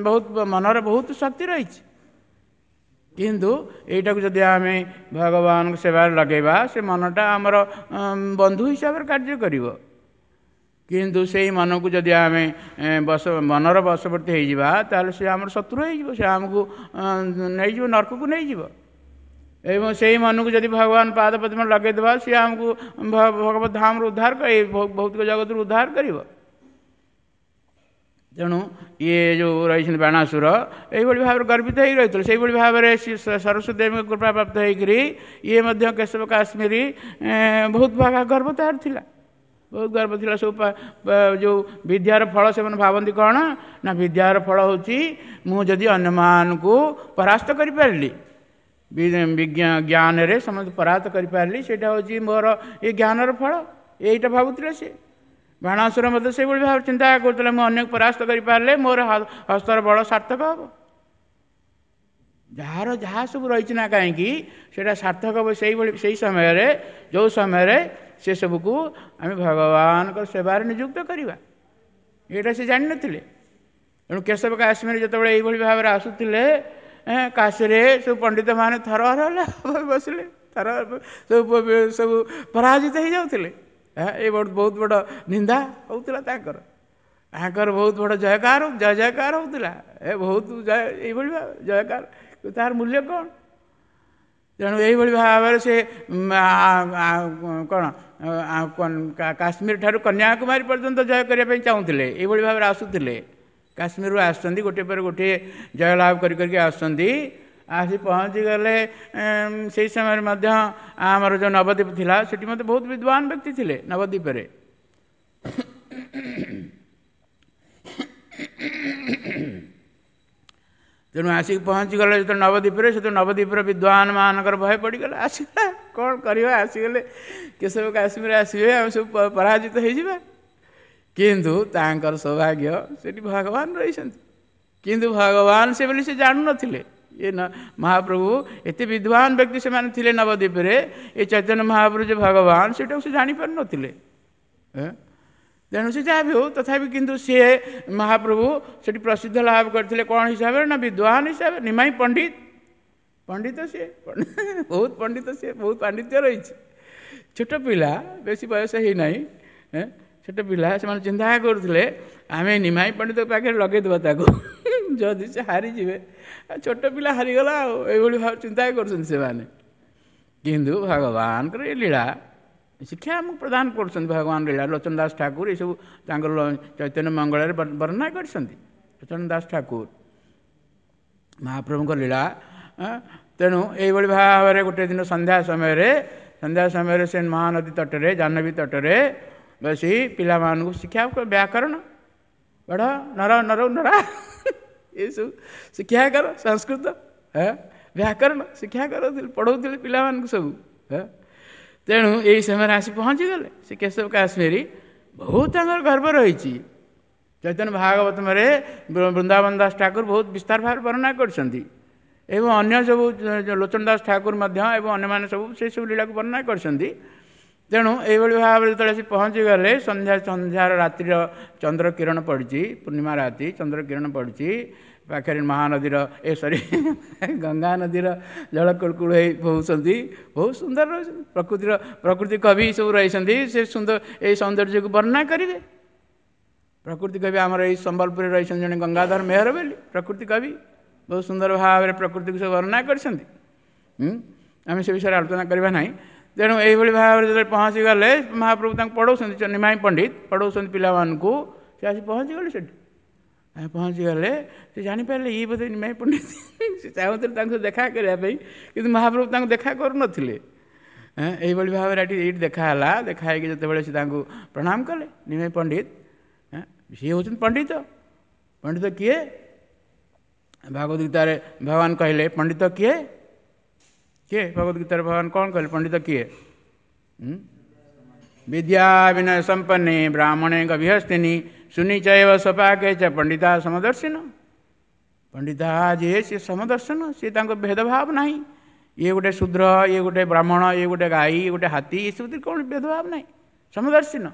ବହୁତ ମନର ବହୁତ ଶକ୍ତି ରହିଛି, କିନ୍ତୁ ଏଇଟାକୁ ଯଦି ଆମେ ଭଗବାନଙ୍କ ସେବାରେ ଲଗେଇବା ସେ ମନଟା ଆମର ବନ୍ଧୁ ହିସାବରେ କାର୍ଯ୍ୟ କରିବ। କିନ୍ତୁ ସେଇ ମନକୁ ଯଦି ଆମେ ମନର ବଶବର୍ତ୍ତୀ ହେଇଯିବା ତାହେଲେ ସେ ଆମର ଶତ୍ରୁ ହେଇଯିବ, ସେ ଆମକୁ ନେଇଯିବ ନର୍କକୁ ନେଇଯିବ। ଏବଂ ସେଇ ମନକୁ ଯଦି ଭଗବାନ ପାଦ ପଦ୍ମ ଲଗେଇଦେବା ସିଏ ଆମକୁ ଭଗବତ ଧାମରୁ ଉଦ୍ଧାର କରି ଭୌତିକ ଜଗତରୁ ଉଦ୍ଧାର କରିବ। ତେଣୁ ଇଏ ଯେଉଁ ରହିଛନ୍ତି ବାଣାସୁର ଏଇଭଳି ଭାବରେ ଗର୍ବିତ ହେଇକି ରହିଥିଲେ। ସେଇଭଳି ଭାବରେ ସରସ୍ୱତୀ ଦେବୀଙ୍କ କୃପା ପ୍ରାପ୍ତ ହେଇକରି ଇଏ ମଧ୍ୟ କେଶବ କାଶ୍ମୀରୀ ବହୁତ ଗର୍ବ ତାର ଥିଲା, ବହୁତ ଗର୍ବ ଥିଲା। ସବୁ ଯେଉଁ ବିଦ୍ୟାର ଫଳ ସେମାନେ ଭାବନ୍ତି କ'ଣ ନା ବିଦ୍ୟାର ଫଳ ହେଉଛି ମୁଁ ଯଦି ଅନ୍ୟମାନଙ୍କୁ ପରାସ୍ତ କରିପାରିଲି, ଜ୍ଞାନରେ ସମସ୍ତେ ପରାସ୍ତ କରିପାରିଲି, ସେଇଟା ହେଉଛି ମୋର ଏ ଜ୍ଞାନର ଫଳ, ଏଇଟା ଭାବୁଥିଲେ ସେ। ବାଣାସୁର ମଧ୍ୟ ସେଇଭଳି ଭାବରେ ଚିନ୍ତା କରୁଥିଲେ, ମୁଁ ଅନ୍ୟକୁ ପରାସ୍ତ କରିପାରିଲେ ମୋର ହସ୍ତର ବଳ ସାର୍ଥକ ହେବ। ଯାହାର ଯାହା ସବୁ ରହିଛି ନା କାହିଁକି ସେଇଟା ସାର୍ଥକ ହେବ ସେଇଭଳି ସେଇ ସମୟରେ, ଯେଉଁ ସମୟରେ ସେସବୁକୁ ଆମେ ଭଗବାନଙ୍କ ସେବାରେ ନିଯୁକ୍ତ କରିବା, ଏଇଟା ସେ ଜାଣିନଥିଲେ। ତେଣୁ କେଶବ କାଶ୍ମୀର ଯେତେବେଳେ ଏଇଭଳି ଭାବରେ ଆସୁଥିଲେ, କାଶୀରେ ସବୁ ପଣ୍ଡିତମାନେ ଥରହର ହେଲେ ବସିଲେ, ଥର ସବୁ ସବୁ ପରାଜିତ ହେଇଯାଉଥିଲେ। ଏ ବହୁତ ବଡ଼ ନିନ୍ଦା ହେଉଥିଲା ତାଙ୍କର, ତାଙ୍କର ବହୁତ ବଡ଼ ଜୟକାର ଜୟ ଜୟକାର ହେଉଥିଲା, ଏ ବହୁତ ଜୟ ଏଇଭଳି ଭାବେ ଜୟକାର, ତାର ମୂଲ୍ୟ କ'ଣ? ତେଣୁ ଏଇଭଳି ଭାବରେ ସେ କ'ଣ କାଶ୍ମୀର ଠାରୁ କନ୍ୟାକୁମାରୀ ପର୍ଯ୍ୟନ୍ତ ଜୟ କରିବା ପାଇଁ ଚାହୁଁଥିଲେ, ଏଇଭଳି ଭାବରେ ଆସୁଥିଲେ। କାଶ୍ମୀରରୁ ଆସୁଛନ୍ତି ଗୋଟିଏ ପରେ ଗୋଟିଏ ଜୟଲାଭ କରି କରିକି ଆସୁଛନ୍ତି, ଆସି ପହଞ୍ଚିଗଲେ। ସେଇ ସମୟରେ ମଧ୍ୟ ଆମର ଯେଉଁ ନବଦ୍ୱୀପ ଥିଲା ସେଠି ମଧ୍ୟ ବହୁତ ବିଦ୍ୱାନ ବ୍ୟକ୍ତି ଥିଲେ ନବଦ୍ୱୀପରେ। ତେଣୁ ଆସିକି ପହଞ୍ଚିଗଲେ ଯେତେବେଳେ ନବଦ୍ୱୀପରେ, ସେତେବେଳେ ନବଦ୍ୱୀପର ବିଦ୍ୱାନ ମାନଙ୍କର ଭୟ ପଡ଼ିଗଲା, ଆସିଗଲା କ'ଣ କରିବା, ଆସିଗଲେ କେଶବ କାଶ୍ମୀର ଆସିବେ ଆମେ ସବୁ ପରାଜିତ ହେଇଯିବା। କିନ୍ତୁ ତାଙ୍କର ସୌଭାଗ୍ୟ ସେଠି ଭଗବାନ ରହିଛନ୍ତି, କିନ୍ତୁ ଭଗବାନ ସେ ବୋଲି ସେ ଜାଣୁନଥିଲେ। ଏ ମହାପ୍ରଭୁ ଏତେ ବିଦ୍ୱାନ ବ୍ୟକ୍ତି ସେମାନେ ଥିଲେ ନବଦ୍ୱୀପରେ, ଏ ଚୈତନ୍ୟ ମହାପ୍ରଭୁ ଯେ ଭଗବାନ ସେଇଟାକୁ ସେ ଜାଣିପାରୁନଥିଲେ। ତେଣୁ ସେ ଯାହା ବି ହଉ ତଥାପି କିନ୍ତୁ ସିଏ ମହାପ୍ରଭୁ ସେଠି ପ୍ରସିଦ୍ଧ ଲାଭ କରିଥିଲେ କ'ଣ ହିସାବରେ ନା ବିଦ୍ୱାନ ହିସାବରେ, ନିମାଇଁ ପଣ୍ଡିତ, ପଣ୍ଡିତ ସିଏ ବହୁତ ପଣ୍ଡିତ, ସିଏ ବହୁତ ପାଣ୍ଡିତ୍ୟ ରହିଛି। ଛୋଟ ପିଲା, ବେଶୀ ବୟସ ହେଇନାହିଁ, ଛୋଟ ପିଲା, ସେମାନେ ଚିନ୍ତା କରୁଥିଲେ ଆମେ ନିମାଇଁ ପଣ୍ଡିତ ପାଖରେ ଲଗେଇଦେବା ତାକୁ, ଯଦି ସେ ହାରିଯିବେ ଛୋଟ ପିଲା ହାରିଗଲା ଆଉ, ଏଇଭଳି ଭାବେ ଚିନ୍ତା କରୁଛନ୍ତି ସେମାନେ। କିନ୍ତୁ ଭଗବାନଙ୍କର ଏ ଲୀଳା ଶିକ୍ଷା ଆମକୁ ପ୍ରଦାନ କରୁଛନ୍ତି ଭଗବାନ ଲୀଳା। ଲୋଚନ ଦାସ ଠାକୁର ଏସବୁ ତାଙ୍କର ଚୈତନ୍ୟ ମଙ୍ଗଳରେ ବର୍ଣ୍ଣନା କରିଛନ୍ତି, ଲୋଚନ ଦାସ ଠାକୁର ମହାପ୍ରଭୁଙ୍କ ଲୀଳା। ତେଣୁ ଏଇଭଳି ଭାବରେ ଗୋଟେ ଦିନ ସନ୍ଧ୍ୟା ସମୟରେ ସେ ମହାନଦୀ ତଟରେ, ଜାହ୍ନବୀ ତଟରେ ବସି ପିଲାମାନଙ୍କୁ ଶିକ୍ଷା, ବ୍ୟାକରଣ ପଢ଼, ନର ନର ନରା ଏସବୁ ଶିକ୍ଷା କର, ସଂସ୍କୃତ ବ୍ୟାକରଣ ଶିକ୍ଷା କରୁଥିଲେ, ପଢ଼ଉଥିଲେ ପିଲାମାନଙ୍କୁ ସବୁ। ତେଣୁ ଏଇ ସମୟରେ ଆସି ପହଞ୍ଚିଗଲେ ସେ କେଶବ କାଶ୍ମୀରୀ। ବହୁତ ତାଙ୍କର ଗର୍ବ ରହିଛି। ଚୈତନ୍ୟ ଭାଗବତରେ ବୃନ୍ଦାବନ ଦାସ ଠାକୁର ବହୁତ ବିସ୍ତାର ଭାବରେ ବର୍ଣ୍ଣନା କରିଛନ୍ତି, ଏବଂ ଅନ୍ୟ ସବୁ ଲୋଚନ ଦାସ ଠାକୁର ମଧ୍ୟ ଏବଂ ଅନ୍ୟମାନେ ସବୁ ସେସବୁ ଲୀଳାକୁ ବର୍ଣ୍ଣନା କରିଛନ୍ତି। ତେଣୁ ଏଇଭଳି ଭାବରେ ଯେତେବେଳେ ଆସି ପହଞ୍ଚିଗଲେ, ସନ୍ଧ୍ୟାର ରାତ୍ରିର ଚନ୍ଦ୍ର କିରଣ ପଡ଼ିଛି, ପୂର୍ଣ୍ଣିମା ରାତି ଚନ୍ଦ୍ର କିରଣ ପଡ଼ିଛି, ପାଖରେ ମହାନଦୀର ଗଙ୍ଗା ନଦୀର ଜଳ କୁଳୁକୁଳୁ ହେଇ ବହୁଛନ୍ତି, ବହୁତ ସୁନ୍ଦର ରହୁଛନ୍ତି। ପ୍ରକୃତି କବି ସବୁ ରହିଛନ୍ତି, ସେ ସୁନ୍ଦର ଏଇ ସୌନ୍ଦର୍ଯ୍ୟକୁ ବର୍ଣ୍ଣନା କରିବେ। ପ୍ରକୃତି କବି ଆମର ଏଇ ସମ୍ବଲପୁରରେ ରହିଛନ୍ତି ଜଣେ ଗଙ୍ଗାଧର ମେହର ବୋଲି ପ୍ରକୃତି କବି, ବହୁତ ସୁନ୍ଦର ଭାବରେ ପ୍ରକୃତିକୁ ସବୁ ବର୍ଣ୍ଣନା କରିଛନ୍ତି। ଆମେ ସେ ବିଷୟରେ ଆଲୋଚନା କରିବା ନାହିଁ। ତେଣୁ ଏଇଭଳି ଭାବରେ ଯେତେବେଳେ ପହଞ୍ଚିଗଲେ, ମହାପ୍ରଭୁ ତାଙ୍କୁ ପଢ଼ଉଛନ୍ତି, ନିମାଇଁ ପଣ୍ଡିତ ପଢ଼ଉଛନ୍ତି ପିଲାମାନଙ୍କୁ, ସେ ଆସି ପହଞ୍ଚିଗଲେ ସେଠି। ପହଞ୍ଚିଗଲେ ସେ ଜାଣିପାରିଲେ ଇଏ ବୋଧେ ନିମାଇଁ ପଣ୍ଡିତ। ସେ ଚାହୁଁଥିଲେ ତାଙ୍କୁ ଦେଖା କରିବା ପାଇଁ, କିନ୍ତୁ ମହାପ୍ରଭୁ ତାଙ୍କୁ ଦେଖା କରୁନଥିଲେ। ଏଇଭଳି ଭାବରେ ଏଠି ଏଇଠି ଦେଖା ହେଲା। ଦେଖା ହେଇକି ଯେତେବେଳେ ସେ ତାଙ୍କୁ ପ୍ରଣାମ କଲେ ନିମାଇଁ ପଣ୍ଡିତ, ସିଏ ହେଉଛନ୍ତି ପଣ୍ଡିତ। ପଣ୍ଡିତ କିଏ? ଭଗବତ ଗୀତାରେ ଭଗବାନ କହିଲେ ପଣ୍ଡିତ କିଏ? କିଏ? ଭଗବତ ଗୀତାରେ ଭଗବାନ କ'ଣ କହିଲେ ପଣ୍ଡିତ କିଏ? ବିଦ୍ୟା ବିନୟ ସମ୍ପନ୍ନେ ବ୍ରାହ୍ମଣେ ଗଭିହସ୍ତିନି ସୁନିଚୈବ ସପାକେ ଚ ପଣ୍ଡିତା ସମଦର୍ଶିନ। ପଣ୍ଡିତା ଯିଏ ସିଏ ସମଦର୍ଶନ, ସିଏ ତାଙ୍କ ଭେଦଭାବ ନାହିଁ। ଇଏ ଗୋଟେ ଶୂଦ୍ର, ଇଏ ଗୋଟେ ବ୍ରାହ୍ମଣ, ଇଏ ଗୋଟେ ଗାଈ, ଇଏ ଗୋଟେ ହାତୀ, ଏସବୁ କ'ଣ ଭେଦଭାବ ନାହିଁ, ସମଦର୍ଶିନ।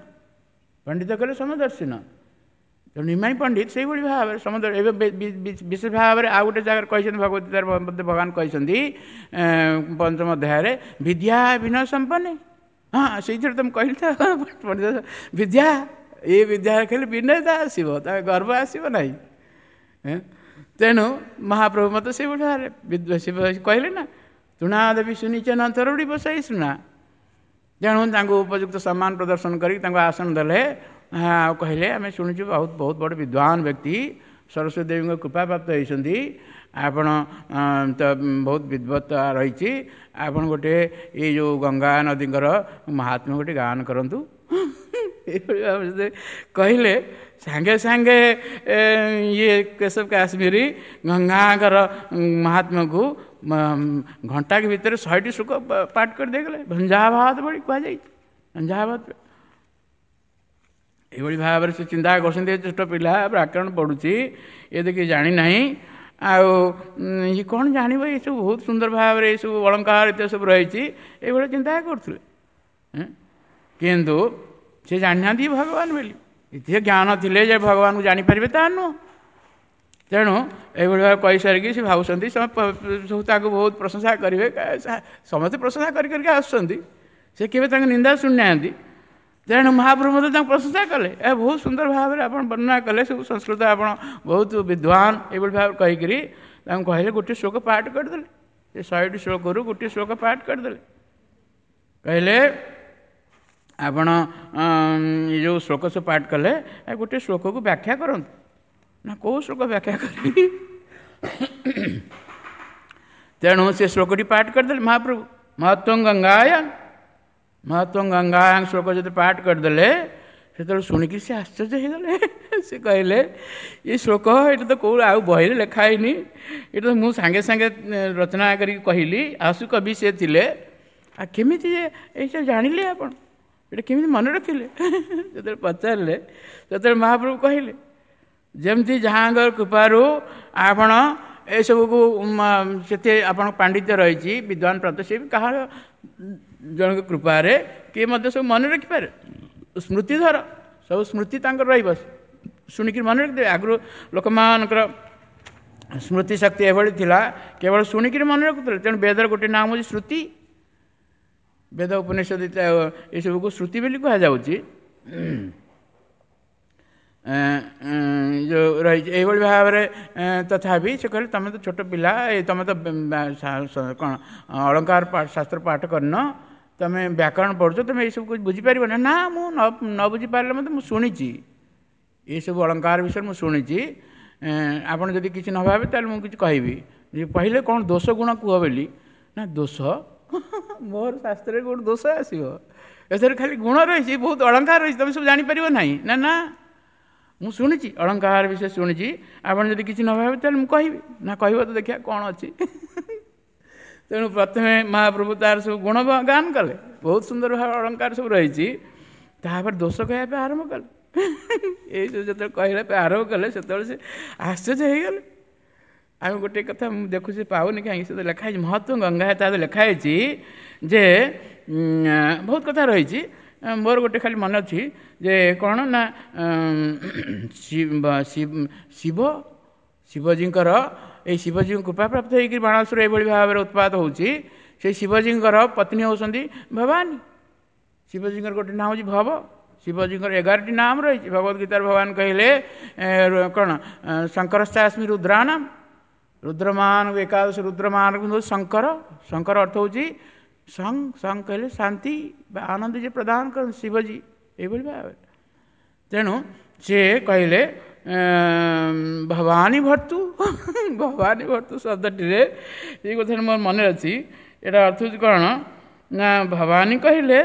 ପଣ୍ଡିତ କହିଲେ ସମଦର୍ଶିନ। ତେଣୁ ନିମାଇଁ ପଣ୍ଡିତ ସେଇଭଳି ଭାବରେ ସମଦ ଏବେ ବିଶେଷ ଭାବରେ ଆଉ ଗୋଟେ ଜାଗାରେ କହିଛନ୍ତି, ଭଗବତ ଗୀତାରେ ମଧ୍ୟ ଭଗବାନ କହିଛନ୍ତି ପଞ୍ଚମ ଅଧ୍ୟାୟରେ, ବିଦ୍ୟା ବିନୟ ସମ୍ପନ୍ନେ। ହଁ, ସେଇଥିରେ ତ ମୁଁ କହିଲି ତ ପଣ୍ଡିତ ବିଦ୍ୟା, ଏ ବିଦ୍ୟା ଖାଲି ବିନୟତା ଆସିବ, ତା ଗର୍ବ ଆସିବ ନାହିଁ। ତେଣୁ ମହାପ୍ରଭୁ ମୋତେ ସେଇଭଳି ଭାବରେ କହିଲେ ନା, ତୁଣା ଦେବୀ ସୁନିଚନ ତରୁଡ଼ି ବସାଇ ସୁନା। ତେଣୁ ତାଙ୍କୁ ଉପଯୁକ୍ତ ସମ୍ମାନ ପ୍ରଦର୍ଶନ କରିକି ତାଙ୍କୁ ଆସନ ଦେଲେ। ଆଉ କହିଲେ ଆମେ ଶୁଣିଛୁ ବହୁତ ବହୁତ ବଡ଼ ବିଦ୍ୱାନ ବ୍ୟକ୍ତି, ସରସ୍ୱତୀ ଦେବୀଙ୍କ କୃପା ପ୍ରାପ୍ତ ହେଇଛନ୍ତି, ଆପଣ ତ ବହୁତ ବିଦ୍ୱତ୍ତା ରହିଛି, ଆପଣ ଗୋଟେ ଏଇ ଯେଉଁ ଗଙ୍ଗା ନଦୀଙ୍କର ମହାତ୍ମ୍ୟ ଗୋଟେ ଗାନ କରନ୍ତୁ। ଏଇଭଳି ଭାବରେ କହିଲେ। ସାଙ୍ଗେ ସାଙ୍ଗେ ଇଏ କେଶବ କାଶ୍ମୀରୀ ଗଙ୍ଗାଙ୍କର ମହାତ୍ମ୍ୟକୁ ଘଣ୍ଟାକ ଭିତରେ 100ଟି ଶ୍ଲୋକ ପାଠ କରିଦେଇଗଲେ। ଭଞ୍ଜାବାଦ ଭଳି କୁହାଯାଇଛି, ଭଞ୍ଜାବାଦ। ଏଇଭଳି ଭାବରେ ସେ ଚିନ୍ତା କରୁଛନ୍ତି, ଛୋଟ ପିଲା ବ୍ୟାକରଣ ପଢ଼ୁଛି, ଏ ତ କିଛି ଜାଣିନାହିଁ, ଆଉ ଇଏ କ'ଣ ଜାଣିବ, ଏସବୁ ବହୁତ ସୁନ୍ଦର ଭାବରେ ଏସବୁ ଅଳଙ୍କାର ଏତେ ସବୁ ରହିଛି, ଏଇଭଳି ଚିନ୍ତା କରୁଥିଲେ। କିନ୍ତୁ ସେ ଜାଣିନାହାନ୍ତି ଭଗବାନ ବୋଲି। ଏତେ ଜ୍ଞାନ ଥିଲେ ଯେ ଭଗବାନଙ୍କୁ ଜାଣିପାରିବେ ତାହା ନୁହଁ। ତେଣୁ ଏଇଭଳି ଭାବେ କହିସାରିକି ସେ ଭାବୁଛନ୍ତି ସବୁ ତାକୁ ବହୁତ ପ୍ରଶଂସା କରିବେ, ସମସ୍ତେ ପ୍ରଶଂସା କରି କରିକି ଆସୁଛନ୍ତି, ସେ କେବେ ତାଙ୍କ ନିନ୍ଦା ଶୁଣିନାହାନ୍ତି। ତେଣୁ ମହାପ୍ରଭୁ ମଧ୍ୟ ତାଙ୍କୁ ପ୍ରଶଂସା କଲେ, ଏହା ବହୁତ ସୁନ୍ଦର ଭାବରେ ଆପଣ ବର୍ଣ୍ଣନା କଲେ, ସବୁ ସଂସ୍କୃତ ଆପଣ ବହୁତ ବିଦ୍ୱାନ, ଏଇଭଳି ଭାବରେ କହିକିରି ତାଙ୍କୁ କହିଲେ ଗୋଟିଏ ଶ୍ଲୋକ ପାଠ କରିଦେଲେ। ସେ 100ଟି ଶ୍ଲୋକରୁ ଗୋଟିଏ ଶ୍ଲୋକ ପାଠ କରିଦେଲେ। କହିଲେ ଆପଣ ଏ ଯେଉଁ ଶ୍ଲୋକ ସବୁ ପାଠ କଲେ, ଗୋଟିଏ ଶ୍ଲୋକକୁ ବ୍ୟାଖ୍ୟା କରନ୍ତୁ। ନା କେଉଁ ଶ୍ଲୋକ ବ୍ୟାଖ୍ୟା କରିବି? ତେଣୁ ସେ ଶ୍ଲୋକଟି ପାଠ କରିଦେଲେ ମହାପ୍ରଭୁ, ମହତ୍ଵ ଗଙ୍ଗାୟ। ମହତ୍ଵ ଗଙ୍ଗାୟାଂ ଶ୍ଲୋକ ଯଦି ପାଠ କରିଦେଲେ, ସେତେବେଳେ ଶୁଣିକି ସେ ଆଶ୍ଚର୍ଯ୍ୟ ହେଇଗଲେ। ସେ କହିଲେ ଏ ଶ୍ଲୋକ ଏଇଟା ତ କେଉଁ ଆଉ ବହିରେ ଲେଖା ହେଇନି, ଏଇଟା ତ ମୁଁ ସାଙ୍ଗେ ସାଙ୍ଗେ ରଚନା କରିକି କହିଲି, ଆସୁ କବି ସେ ଥିଲେ, ଆଉ କେମିତି ଏଇସବୁ ଜାଣିଲେ ଆପଣ, ଏଇଟା କେମିତି ମନେ ରଖିଲେ? ଯେତେବେଳେ ପଚାରିଲେ ସେତେବେଳେ ମହାପ୍ରଭୁ କହିଲେ ଯେମିତି ଯାହାଙ୍କର କୃପାରୁ ଆପଣ ଏସବୁକୁ ସେତେ ଆପଣଙ୍କ ପାଣ୍ଡିତ୍ୟ ରହିଛି, ବିଦ୍ୱାନ ପ୍ରାପ୍ତ, ସେ ବି କାହାର ଜଣଙ୍କ କୃପାରେ କିଏ ମଧ୍ୟ ସବୁ ମନେ ରଖିପାରେ। ସ୍ମୃତିଧର, ସବୁ ସ୍ମୃତି ତାଙ୍କର ରହିବ, ଶୁଣିକିରି ମନେ ରଖିଦେବେ। ଆଗରୁ ଲୋକମାନଙ୍କର ସ୍ମୃତି ଶକ୍ତି ଏଭଳି ଥିଲା, କେବଳ ଶୁଣିକିରି ମନେ ରଖୁଥିଲେ। ତେଣୁ ବେଦର ଗୋଟେ ନାମ ହେଉଛି ଶ୍ରୁତି। ବେଦ ଉପନିଷଦ ଏସବୁକୁ ଶ୍ରୁତି ବୋଲି କୁହାଯାଉଛି। ଯେଉଁ ରହିଛି ଏଇଭଳି ଭାବରେ। ତଥାପି ସେ କହିଲେ ତୁମେ ତ ଛୋଟ ପିଲା, ଏ ତୁମେ ତ କ'ଣ ଅଳଙ୍କାର ଶାସ୍ତ୍ର ପାଠ କରିନ, ତୁମେ ବ୍ୟାକରଣ ପଢ଼ୁଛ, ତୁମେ ଏଇସବୁ ବୁଝିପାରିବ ନା? ନା, ମୁଁ ନ ବୁଝିପାରିଲେ ମଧ୍ୟ ମୁଁ ଶୁଣିଛି, ଏସବୁ ଅଳଙ୍କାର ବିଷୟରେ ମୁଁ ଶୁଣିଛି, ଆପଣ ଯଦି କିଛି ନ ଭାବେ ତାହେଲେ ମୁଁ କିଛି କହିବି। କହିଲେ କ'ଣ ଦୋଷ ଗୁଣ କୁହ ବୋଲି। ନା ଦୋଷ ମୋର ଶାସ୍ତ୍ରରେ କେଉଁଠି ଦୋଷ ଆସିବ, ଏଥିରେ ଖାଲି ଗୁଣ ରହିଛି, ବହୁତ ଅଳଙ୍କାର ରହିଛି, ତୁମେ ସବୁ ଜାଣିପାରିବ ନାହିଁ। ନା ନା, ମୁଁ ଶୁଣିଛି ଅଳଙ୍କାର ବିଷୟ ଶୁଣିଛି, ଆପଣ ଯଦି କିଛି ନ ଭାବେ ତାହେଲେ ମୁଁ କହିବି। ନା କହିବ ତ ଦେଖିବା କ'ଣ ଅଛି। ତେଣୁ ପ୍ରଥମେ ମହାପ୍ରଭୁ ତାର ସବୁ ଗୁଣ ଗାନ କଲେ, ବହୁତ ସୁନ୍ଦର ଭାବେ ଅଳଙ୍କାର ସବୁ ରହିଛି। ତାପରେ ଦୋଷ କହିବା ପାଇଁ ଆରମ୍ଭ କଲେ। ଏଇସବୁ ଯେତେବେଳେ କହିବା ପାଇଁ ଆରମ୍ଭ କଲେ ସେତେବେଳେ ସେ ଆଶ୍ଚର୍ଯ୍ୟ ହେଇଗଲେ। ଆଉ ଗୋଟେ କଥା ମୁଁ ଦେଖୁଛି ପାଉନି କାହିଁକି, ସେ ଲେଖା ହେଇଛି ମହତ୍ଵ ଗଙ୍ଗା, ତା ଲେଖା ହେଇଛି ଯେ ବହୁତ କଥା ରହିଛି। ମୋର ଗୋଟେ ଖାଲି ମନେ ଅଛି ଯେ କ'ଣ ନା ଶିବ ଶିବଜୀଙ୍କର ଏଇ ଶିବଜୀଙ୍କ କୃପାପ୍ରାପ୍ତ ହେଇକି ବାଣାସୁର ଏଇଭଳି ଭାବରେ ଉତ୍ପାତ ହେଉଛି। ସେଇ ଶିବଜୀଙ୍କର ପତ୍ନୀ ହେଉଛନ୍ତି ଭବାନୀ। ଶିବଜୀଙ୍କର ଗୋଟେ ନାଁ ହେଉଛି ଭବ, ଶିବଜୀଙ୍କର 11ଟି ନାମ ରହିଛି। ଭଗବତ ଗୀତାରେ ଭଗବାନ କହିଲେ କ'ଣ, ଶଙ୍କରଶ୍ଚାସ୍ମି ରୁଦ୍ରାଣାମ, ରୁଦ୍ରମାନଙ୍କୁ ଏକାଦଶ ରୁଦ୍ରମାନଙ୍କୁ ଶଙ୍କର। ଶଙ୍କର ଅର୍ଥ ହେଉଛି ସଂ, ସଂ କହିଲେ ଶାନ୍ତି ବା ଆନନ୍ଦ ଯିଏ ପ୍ରଦାନ କରନ୍ତି ଶିବଜୀ, ଏଇଭଳି ଭାବରେ। ତେଣୁ ସିଏ କହିଲେ ଭବାନୀ ଭର୍ତ୍ତୁ। ଭବାନୀ ଭର୍ତ୍ତୁ ଶବ୍ଦଟିରେ ଏଇ କଥାଟା ମୋର ମନେ ଅଛି। ଏଇଟା ଅର୍ଥ ହେଉଛି କ'ଣ ନା, ଭବାନୀ କହିଲେ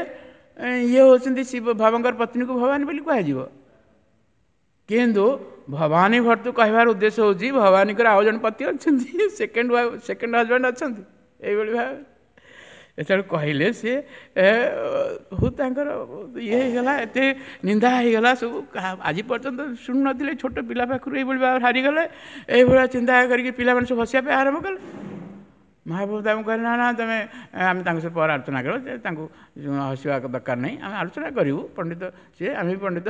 ଇଏ ହେଉଛନ୍ତି ଶିବ, ଭବଙ୍କର ପତ୍ନୀକୁ ଭବାନୀ ବୋଲି କୁହାଯିବ। କିନ୍ତୁ ଭବାନୀ ଭର୍ତ୍ତୁ କହିବାର ଉଦ୍ଦେଶ୍ୟ ହେଉଛି ଭବାନୀଙ୍କର ଆଉ ଜଣେ ପତି ଅଛନ୍ତି, ସେକେଣ୍ଡ ହଜବେଣ୍ଡ ଅଛନ୍ତି, ଏଇଭଳି ଭାବେ ଯେତେବେଳେ କହିଲେ ସିଏ ବହୁତ ତାଙ୍କର ଇଏ ହେଇଗଲା, ଏତେ ନିନ୍ଦା ହେଇଗଲା ସବୁ। ଆଜି ପର୍ଯ୍ୟନ୍ତ ଶୁଣୁନଥିଲେ, ଛୋଟ ପିଲା ପାଖରୁ ଏଇଭଳି ଭାବରେ ହାରିଗଲେ। ଏଇଭଳିଆ ଚିନ୍ତା କରିକି ପିଲାମାନେ ସବୁ ହସିବା ପାଇଁ ଆରମ୍ଭ କଲେ। ମହାପ୍ରଭୁ ତାଙ୍କୁ କହିଲେ ନା ନା, ତମେ ଆମେ ତାଙ୍କ ସହ ପରେ ଆଲୋଚନା କରୁ, ତାଙ୍କୁ ହସିବା ଦରକାର ନାହିଁ, ଆମେ ଆଲୋଚନା କରିବୁ। ପଣ୍ଡିତ ସିଏ, ଆମେ ବି ପଣ୍ଡିତ,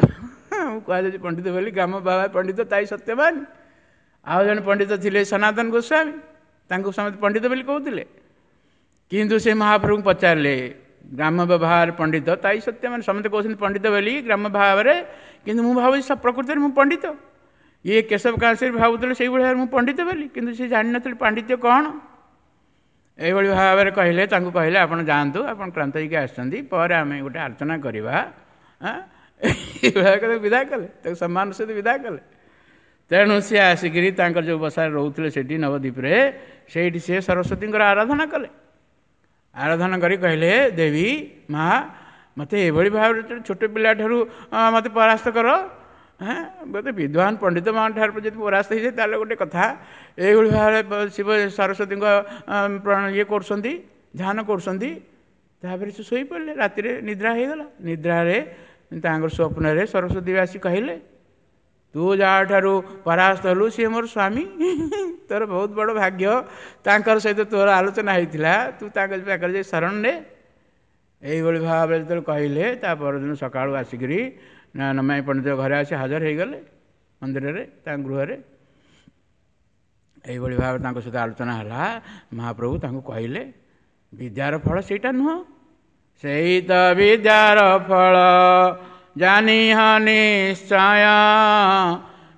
କୁହାଯାଉଛି ପଣ୍ଡିତ ବୋଲି, ଗ୍ରାମ ବାବା ପଣ୍ଡିତ ତାଇ ସତ୍ୟବାନ। ଆଉ ଜଣେ ପଣ୍ଡିତ ଥିଲେ ସନାତନ ଗୋସ୍ୱାମୀ, ତାଙ୍କୁ ସମସ୍ତେ ପଣ୍ଡିତ ବୋଲି କହୁଥିଲେ। କିନ୍ତୁ ସେ ମହାପ୍ରଭୁଙ୍କୁ ପଚାରିଲେ, ଗ୍ରାମ ବ୍ୟବହାର ପଣ୍ଡିତ ତାଇ ସତ୍ୟବାନ, ସମସ୍ତେ କହୁଛନ୍ତି ପଣ୍ଡିତ ବୋଲି ଗ୍ରାମ ଭାବରେ, କିନ୍ତୁ ମୁଁ ଭାବୁଛି ପ୍ରକୃତରେ ମୁଁ ପଣ୍ଡିତ। ଇଏ କେଶବ କାଶୀ ଭାବୁଥିଲେ ସେଇଭଳି ଭାବରେ ମୁଁ ପଣ୍ଡିତ ବୋଲି, କିନ୍ତୁ ସେ ଜାଣିନଥିଲେ ପାଣ୍ଡିତ୍ୟ କ'ଣ। ଏଇଭଳି ଭାବରେ କହିଲେ, ତାଙ୍କୁ କହିଲେ ଆପଣ ଯାଆନ୍ତୁ, ଆପଣ କ୍ଳାନ୍ତ ହେଇକି ଆସିଛନ୍ତି, ପରେ ଆମେ ଗୋଟେ ଆଲୋଚନା କରିବା। ଏଇଭଳିଆ ତାକୁ ବିଦା କଲେ, ତାକୁ ସମ୍ମାନ ସହିତ ବିଦା କଲେ। ତେଣୁ ସିଏ ଆସିକିରି ତାଙ୍କର ଯେଉଁ ବସାରେ ରହୁଥିଲେ ସେଠି ନବଦ୍ୱୀପରେ, ସେଇଠି ସିଏ ସରସ୍ୱତୀଙ୍କର ଆରାଧନା କଲେ। ଆରାଧନା କରି କହିଲେ, ଦେବୀ ମା, ମୋତେ ଏଭଳି ଭାବରେ ଛୋଟ ପିଲାଠାରୁ ମୋତେ ପରାସ୍ତ କର, ହଁ ମୋତେ ବିଦ୍ୱାନ ପଣ୍ଡିତମାନଙ୍କ ଠାରୁ ଯଦି ପରାସ୍ତ ହେଇଯାଏ ତାହେଲେ ଗୋଟେ କଥା। ଏଇଭଳି ଭାବରେ ଶିବ ସରସ୍ୱତୀଙ୍କ ଇଏ କରୁଛନ୍ତି, ଧ୍ୟାନ କରୁଛନ୍ତି। ତାପରେ ସେ ଶୋଇପଡ଼ିଲେ, ରାତିରେ ନିଦ୍ରା ହେଇଗଲା। ନିଦ୍ରାରେ ତାଙ୍କର ସ୍ୱପ୍ନରେ ସରସ୍ୱତୀ ଆସି କହିଲେ, ତୁ ଯାହାଠାରୁ ପରାସ୍ତ ହେଲୁ ସିଏ ମୋର ସ୍ୱାମୀ, ତୋର ବହୁତ ବଡ଼ ଭାଗ୍ୟ, ତାଙ୍କର ସହିତ ତୋର ଆଲୋଚନା ହେଇଥିଲା, ତୁ ତାଙ୍କ ପାଖରେ ଯାଇ ଶରଣ ନେ। ଏଇଭଳି ଭାବରେ ଯେତେବେଳେ କହିଲେ, ତା ପରଦିନ ସକାଳୁ ଆସିକରି ନମାଇ ପଣ୍ଡିତ ଘରେ ଆସି ହାଜର ହେଇଗଲେ ମନ୍ଦିରରେ, ତାଙ୍କ ଗୃହରେ। ଏଇଭଳି ଭାବରେ ତାଙ୍କ ସହିତ ଆଲୋଚନା ହେଲା। ମହାପ୍ରଭୁ ତାଙ୍କୁ କହିଲେ, ବିଦ୍ୟାର ଫଳ ସେଇଟା ନୁହଁ, ସେଇ ତ ବିଦ୍ୟାର ଫଳ ଜାନିହ ନିଶ୍ଚୟ,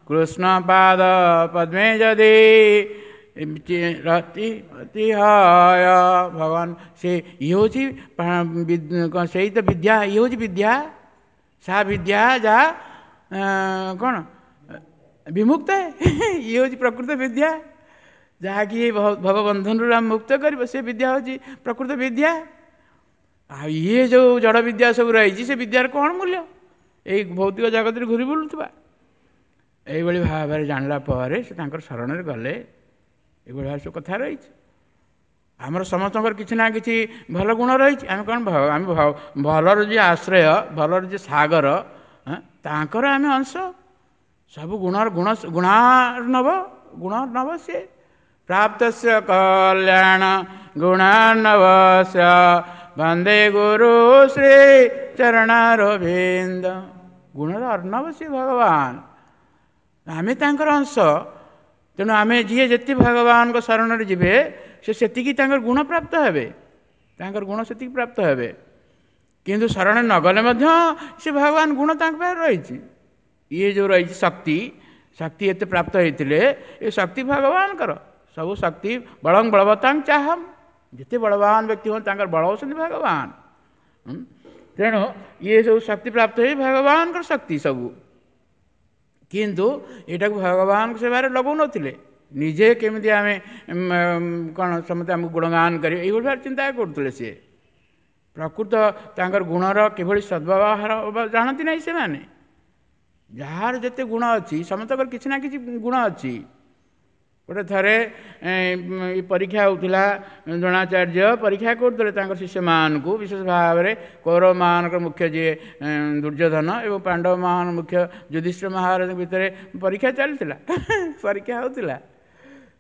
କୃଷ୍ଣ ପାଦ ପଦ୍ମେ ଯଦି ରତି ଅତି ହୟ। ଭଗବାନ ସେ ଇଏ ହେଉଛି ସେଇ ତ ବିଦ୍ୟା, ଇଏ ହେଉଛି ବିଦ୍ୟା, ସା ବିଦ୍ୟା ଯାହା କ'ଣ ବିମୁକ୍ତ, ଇଏ ହେଉଛି ପ୍ରକୃତ ବିଦ୍ୟା, ଯାହାକି ଭବବନ୍ଧନରୁ ଆମେ ମୁକ୍ତ କରିବ, ସେ ବିଦ୍ୟା ହେଉଛି ପ୍ରକୃତ ବିଦ୍ୟା। ଆଉ ଇଏ ଯେଉଁ ଜଡ଼ ବିଦ୍ୟା ସବୁ ରହିଛି, ସେ ବିଦ୍ୟାର କ'ଣ ମୂଲ୍ୟ, ଏଇ ଭୌତିକ ଜଗତରେ ଘୁରି ବୁଲୁଥିବା। ଏଇଭଳି ଭାବରେ ଜାଣିଲା ପରେ ସେ ତାଙ୍କର ଶରଣରେ ଗଲେ। ଏଇଭଳି ଭାବରେ ସବୁ କଥା ରହିଛି। ଆମର ସମସ୍ତଙ୍କର କିଛି ନା କିଛି ଭଲ ଗୁଣ ରହିଛି। ଆମେ କ'ଣ, ଆମେ ଭଲର ଯିଏ ଆଶ୍ରୟ, ଭଲର ଯିଏ ସାଗର, ତାଙ୍କର ଆମେ ଅଂଶ। ସବୁ ଗୁଣର ଗୁଣ ଗୁଣାର୍ଣ୍ଣବ, ଗୁଣାର୍ଣ୍ଣବ ସିଏ। ପ୍ରାପ୍ତସ୍ୟ କଲ୍ୟାଣ ଗୁଣାର୍ଣ୍ଣବସ୍ୟ ବନ୍ଦେ ଗୁରୁ ଶ୍ରୀ ଚରଣାରବିନ୍ଦ। ଗୁଣର ଅର୍ଣ୍ଣବ ସିଏ ଭଗବାନ, ଆମେ ତାଙ୍କର ଅଂଶ। ତେଣୁ ଆମେ ଯିଏ ଯେତେ ଭଗବାନଙ୍କ ଶରଣରେ ଯିବେ, ସେ ସେତିକି ତାଙ୍କର ଗୁଣ ପ୍ରାପ୍ତ ହେବେ, ତାଙ୍କର ଗୁଣ ସେତିକି ପ୍ରାପ୍ତ ହେବେ। କିନ୍ତୁ ଶରଣ ନଗଲେ ମଧ୍ୟ ସେ ଭଗବାନ ଗୁଣ ତାଙ୍କ ପାଖରେ ରହିଛି। ଇଏ ଯେଉଁ ରହିଛି ଶକ୍ତି, ଶକ୍ତି ଏତେ ପ୍ରାପ୍ତ ହେଇଥିଲେ, ଏ ଶକ୍ତି ଭଗବାନଙ୍କର। ସବୁ ଶକ୍ତି ବଳଂ ବଳବତାଂ ଚାହମ୍, ଯେତେ ବଳବାନ ବ୍ୟକ୍ତି ହୁଅନ୍ତି ତାଙ୍କର ବଳ ହେଉଛନ୍ତି ଭଗବାନ। ତେଣୁ ଇଏ ସବୁ ଶକ୍ତି ପ୍ରାପ୍ତ ହେଇ ଭଗବାନଙ୍କର ଶକ୍ତି ସବୁ, କିନ୍ତୁ ଏଇଟାକୁ ଭଗବାନଙ୍କ ସେବାରେ ଲଗାଉନଥିଲେ। ନିଜେ କେମିତି ଆମେ କ'ଣ ସମସ୍ତେ ଆମକୁ ଗୁଣଗାନ କରିବେ, ଏଇଭଳି ଭାବରେ ଚିନ୍ତା କରୁଥିଲେ ସିଏ। ପ୍ରକୃତ ତାଙ୍କର ଗୁଣର କିଭଳି ସଦ୍ବ୍ୟବହାର ଜାଣନ୍ତି ନାହିଁ ସେମାନେ। ଯାହାର ଯେତେ ଗୁଣ ଅଛି, ସମସ୍ତଙ୍କର କିଛି ନା କିଛି ଗୁଣ ଅଛି। ଗୋଟେ ଥରେ ପରୀକ୍ଷା ହେଉଥିଲା, ଦ୍ରୋଣାଚାର୍ଯ୍ୟ ପରୀକ୍ଷା କରୁଥିଲେ ତାଙ୍କ ଶିଷ୍ୟମାନଙ୍କୁ, ବିଶେଷ ଭାବରେ କୌରବମାନଙ୍କର ମୁଖ୍ୟ ଯିଏ ଦୁର୍ଯ୍ୟୋଧନ ଏବଂ ପାଣ୍ଡବମାନ ମୁଖ୍ୟ ଯୁଧିଷ୍ଠିର ମହାରାଜଙ୍କ ଭିତରେ ପରୀକ୍ଷା ଚାଲିଥିଲା, ପରୀକ୍ଷା ହେଉଥିଲା।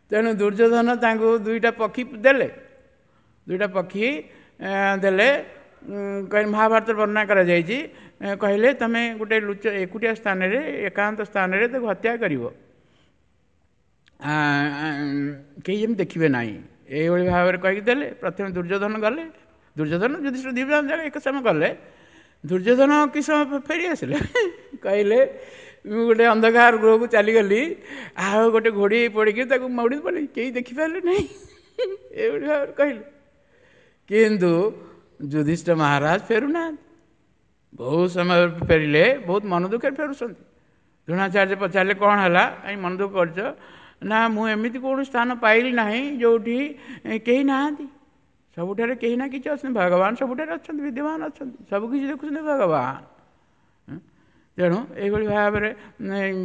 ତେଣୁ ଦୁର୍ଯ୍ୟୋଧନ ତାଙ୍କୁ ଦୁଇଟା ପକ୍ଷୀ ଦେଲେ, ଦୁଇଟା ପକ୍ଷୀ ଦେଲେ। ମହାଭାରତରେ ବର୍ଣ୍ଣନା କରାଯାଇଛି, କହିଲେ ତୁମେ ଗୋଟେ ଲୁଚ ଏକୁଟିଆ ସ୍ଥାନରେ, ଏକାନ୍ତ ସ୍ଥାନରେ ତାକୁ ହତ୍ୟା କରିବ, କେହି ଯେମିତି ଦେଖିବେ ନାହିଁ, ଏଇଭଳି ଭାବରେ କହିକି ଦେଲେ। ପ୍ରଥମେ ଦୁର୍ଯ୍ୟୋଧନ ଗଲେ, ଦୁର୍ଯ୍ୟୋଧନ ଯୁଧିଷ୍ଠିର ଦୁଇ ଜଣ ଯାକ ଏକ ସମୟ ଗଲେ। ଦୁର୍ଯ୍ୟୋଧନ କି ସମୟ ଫେରି ଆସିଲେ, କହିଲେ ମୁଁ ଗୋଟେ ଅନ୍ଧକାର ଗୃହକୁ ଚାଲିଗଲି, ଆଉ ଗୋଟେ ଘୋଡ଼ି ପଡ଼ିକି ତାକୁ ମଉଡ଼ି ପଡ଼ିଲି, କେହି ଦେଖିପାରିଲେ ନାହିଁ, ଏଇଭଳି ଭାବରେ କହିଲେ। କିନ୍ତୁ ଯୁଧିଷ୍ଠିର ମହାରାଜ ଫେରୁନାହାନ୍ତି। ବହୁତ ସମୟ ଫେରିଲେ, ବହୁତ ମନ ଦୁଃଖରେ ଫେରୁଛନ୍ତି। ଦ୍ରୋଣାଚାର୍ଯ୍ୟ ପଚାରିଲେ କ'ଣ ହେଲା, କାହିଁ ମନ ଦୁଃଖ କରିଛ? ନା, ମୁଁ ଏମିତି କୌଣସି ସ୍ଥାନ ପାଇଲି ନାହିଁ ଯେଉଁଠି କେହି ନାହାନ୍ତି, ସବୁଠାରେ କେହି ନା କିଛି ଅଛନ୍ତି, ଭଗବାନ ସବୁଠାରେ ଅଛନ୍ତି, ବିଦ୍ୟମାନ ଅଛନ୍ତି, ସବୁ କିଛି ଦେଖୁଛନ୍ତି ଭଗବାନ। ତେଣୁ ଏଇଭଳି ଭାବରେ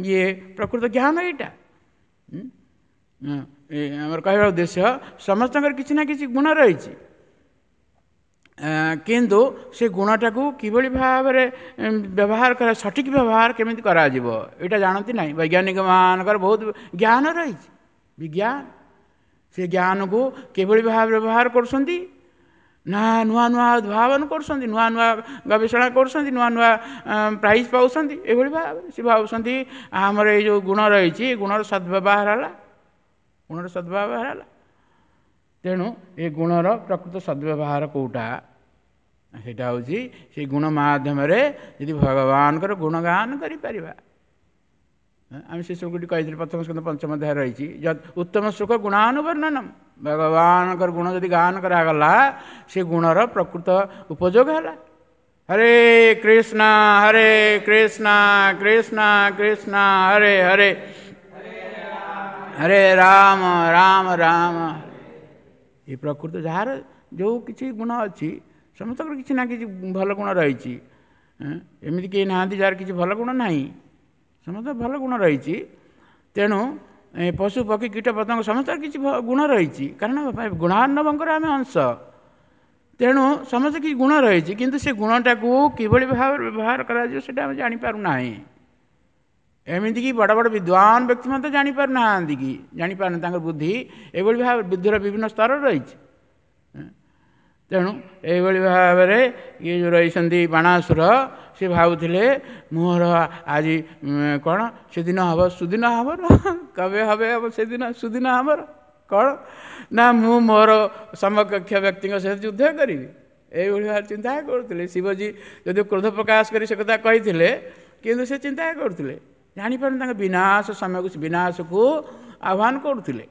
ଇଏ ପ୍ରକୃତ ଜ୍ଞାନ ଏଇଟା। ଆମର କହିବା ଉଦ୍ଦେଶ୍ୟ, ସମସ୍ତଙ୍କର କିଛି ନା କିଛି ଗୁଣ ରହିଛି, କିନ୍ତୁ ସେ ଗୁଣଟାକୁ କିଭଳି ଭାବରେ ବ୍ୟବହାର କରା, ସଠିକ୍ ବ୍ୟବହାର କେମିତି କରାଯିବ ଏଇଟା ଜାଣନ୍ତି ନାହିଁ। ବୈଜ୍ଞାନିକମାନଙ୍କର ବହୁତ ଜ୍ଞାନ ରହିଛି, ବିଜ୍ଞାନ, ସେ ଜ୍ଞାନକୁ କିଭଳି ଭାବରେ ବ୍ୟବହାର କରୁଛନ୍ତି ନା ନୂଆ ନୂଆ ଉଦ୍ଭାବନ କରୁଛନ୍ତି, ନୂଆ ନୂଆ ଗବେଷଣା କରୁଛନ୍ତି, ନୂଆ ନୂଆ ପ୍ରାଇଜ୍ ପାଉଛନ୍ତି। ଏଭଳି ଭାବରେ ସେ ଭାବୁଛନ୍ତି ଆମର ଏଇ ଯେଉଁ ଗୁଣ ରହିଛି, ଏ ଗୁଣର ସଦ୍ବ୍ୟବହାର ହେଲା, ଗୁଣର ସଦ୍ବ୍ୟବହାର ହେଲା। ତେଣୁ ଏ ଗୁଣର ପ୍ରକୃତ ସଦ୍ବ୍ୟବହାର କେଉଁଟା? ସେଇଟା ହେଉଛି ସେଇ ଗୁଣ ମାଧ୍ୟମରେ ଯଦି ଭଗବାନଙ୍କର ଗୁଣଗାନ କରିପାରିବା। ଆମେ ସେ ଶ୍ଲୋକଟି କହିଥିଲେ, ପ୍ରଥମ ସ୍କନ୍ଧ ପଞ୍ଚମ ଅଧ୍ୟାୟ ରହିଛି, ଉତ୍ତମ ଶ୍ଲୋକ ଗୁଣାନୁବର୍ଣ୍ଣନମ। ଭଗବାନଙ୍କର ଗୁଣ ଯଦି ଗାନ କରାଗଲା, ସେ ଗୁଣର ପ୍ରକୃତ ଉପଯୋଗ ହେଲା। ହରେ କୃଷ୍ଣ ହରେ କୃଷ୍ଣ କୃଷ୍ଣ କୃଷ୍ଣ ହରେ ହରେ, ହରେ ରାମ ରାମ ରାମ। ଏ ପ୍ରକୃତ ଯାହାର ଯେଉଁ କିଛି ଗୁଣ ଅଛି, ସମସ୍ତଙ୍କର କିଛି ନା କିଛି ଭଲ ଗୁଣ ରହିଛି। ଏମିତି କେହି ନାହାନ୍ତି ଯାହାର କିଛି ଭଲ ଗୁଣ ନାହିଁ, ସମସ୍ତଙ୍କର ଭଲ ଗୁଣ ରହିଛି। ତେଣୁ ପଶୁ ପକ୍ଷୀ କୀଟ ପତଙ୍ଗ ସମସ୍ତଙ୍କର କିଛି ଗୁଣ ରହିଛି, କାରଣ ଗୁଣାର୍ଣ୍ଣବଙ୍କର ଆମେ ଅଂଶ। ତେଣୁ ସମସ୍ତେ କିଛି ଗୁଣ ରହିଛି, କିନ୍ତୁ ସେ ଗୁଣଟାକୁ କିଭଳି ଭାବରେ ବ୍ୟବହାର କରାଯିବ ସେଇଟା ଆମେ ଜାଣିପାରୁନାହିଁ। ଏମିତିକି ବଡ଼ ବଡ଼ ବିଦ୍ୱାନ ବ୍ୟକ୍ତି ମଧ୍ୟ ଜାଣିପାରୁନାହାନ୍ତି କି ଜାଣିପାରୁନାହାନ୍ତି, ତାଙ୍କର ବୁଦ୍ଧି ଏଭଳି ଭାବେ, ବୁଦ୍ଧିର ବିଭିନ୍ନ ସ୍ତର ରହିଛି। ତେଣୁ ଏଇଭଳି ଭାବରେ ଇଏ ଯେଉଁ ରହିଛନ୍ତି ବାଣାସୁର, ସେ ଭାବୁଥିଲେ ମୋର ଆଜି କ'ଣ ସେଦିନ ହେବ, ସୁଦିନ ଆମର କେବେ হবে ହେବ, ସେଦିନ ସୁଦିନ ଆମର କ'ଣ ନା ମୁଁ ମୋର ସମକକ୍ଷ ବ୍ୟକ୍ତିଙ୍କ ସହିତ ଯୁଦ୍ଧ କରିବି, ଏଇଭଳି ଭାବରେ ଚିନ୍ତା କରୁଥିଲେ। ଶିବଜୀ ଯଦି କ୍ରୋଧ ପ୍ରକାଶ କରି ସେ କଥା କହିଥିଲେ, କିନ୍ତୁ ସେ ଚିନ୍ତା କରୁଥିଲେ, ଜାଣିପାରୁନି ତାଙ୍କ ବିନାଶ ସମୟକୁ, ବିନାଶକୁ ଆହ୍ୱାନ କରୁଥିଲେ।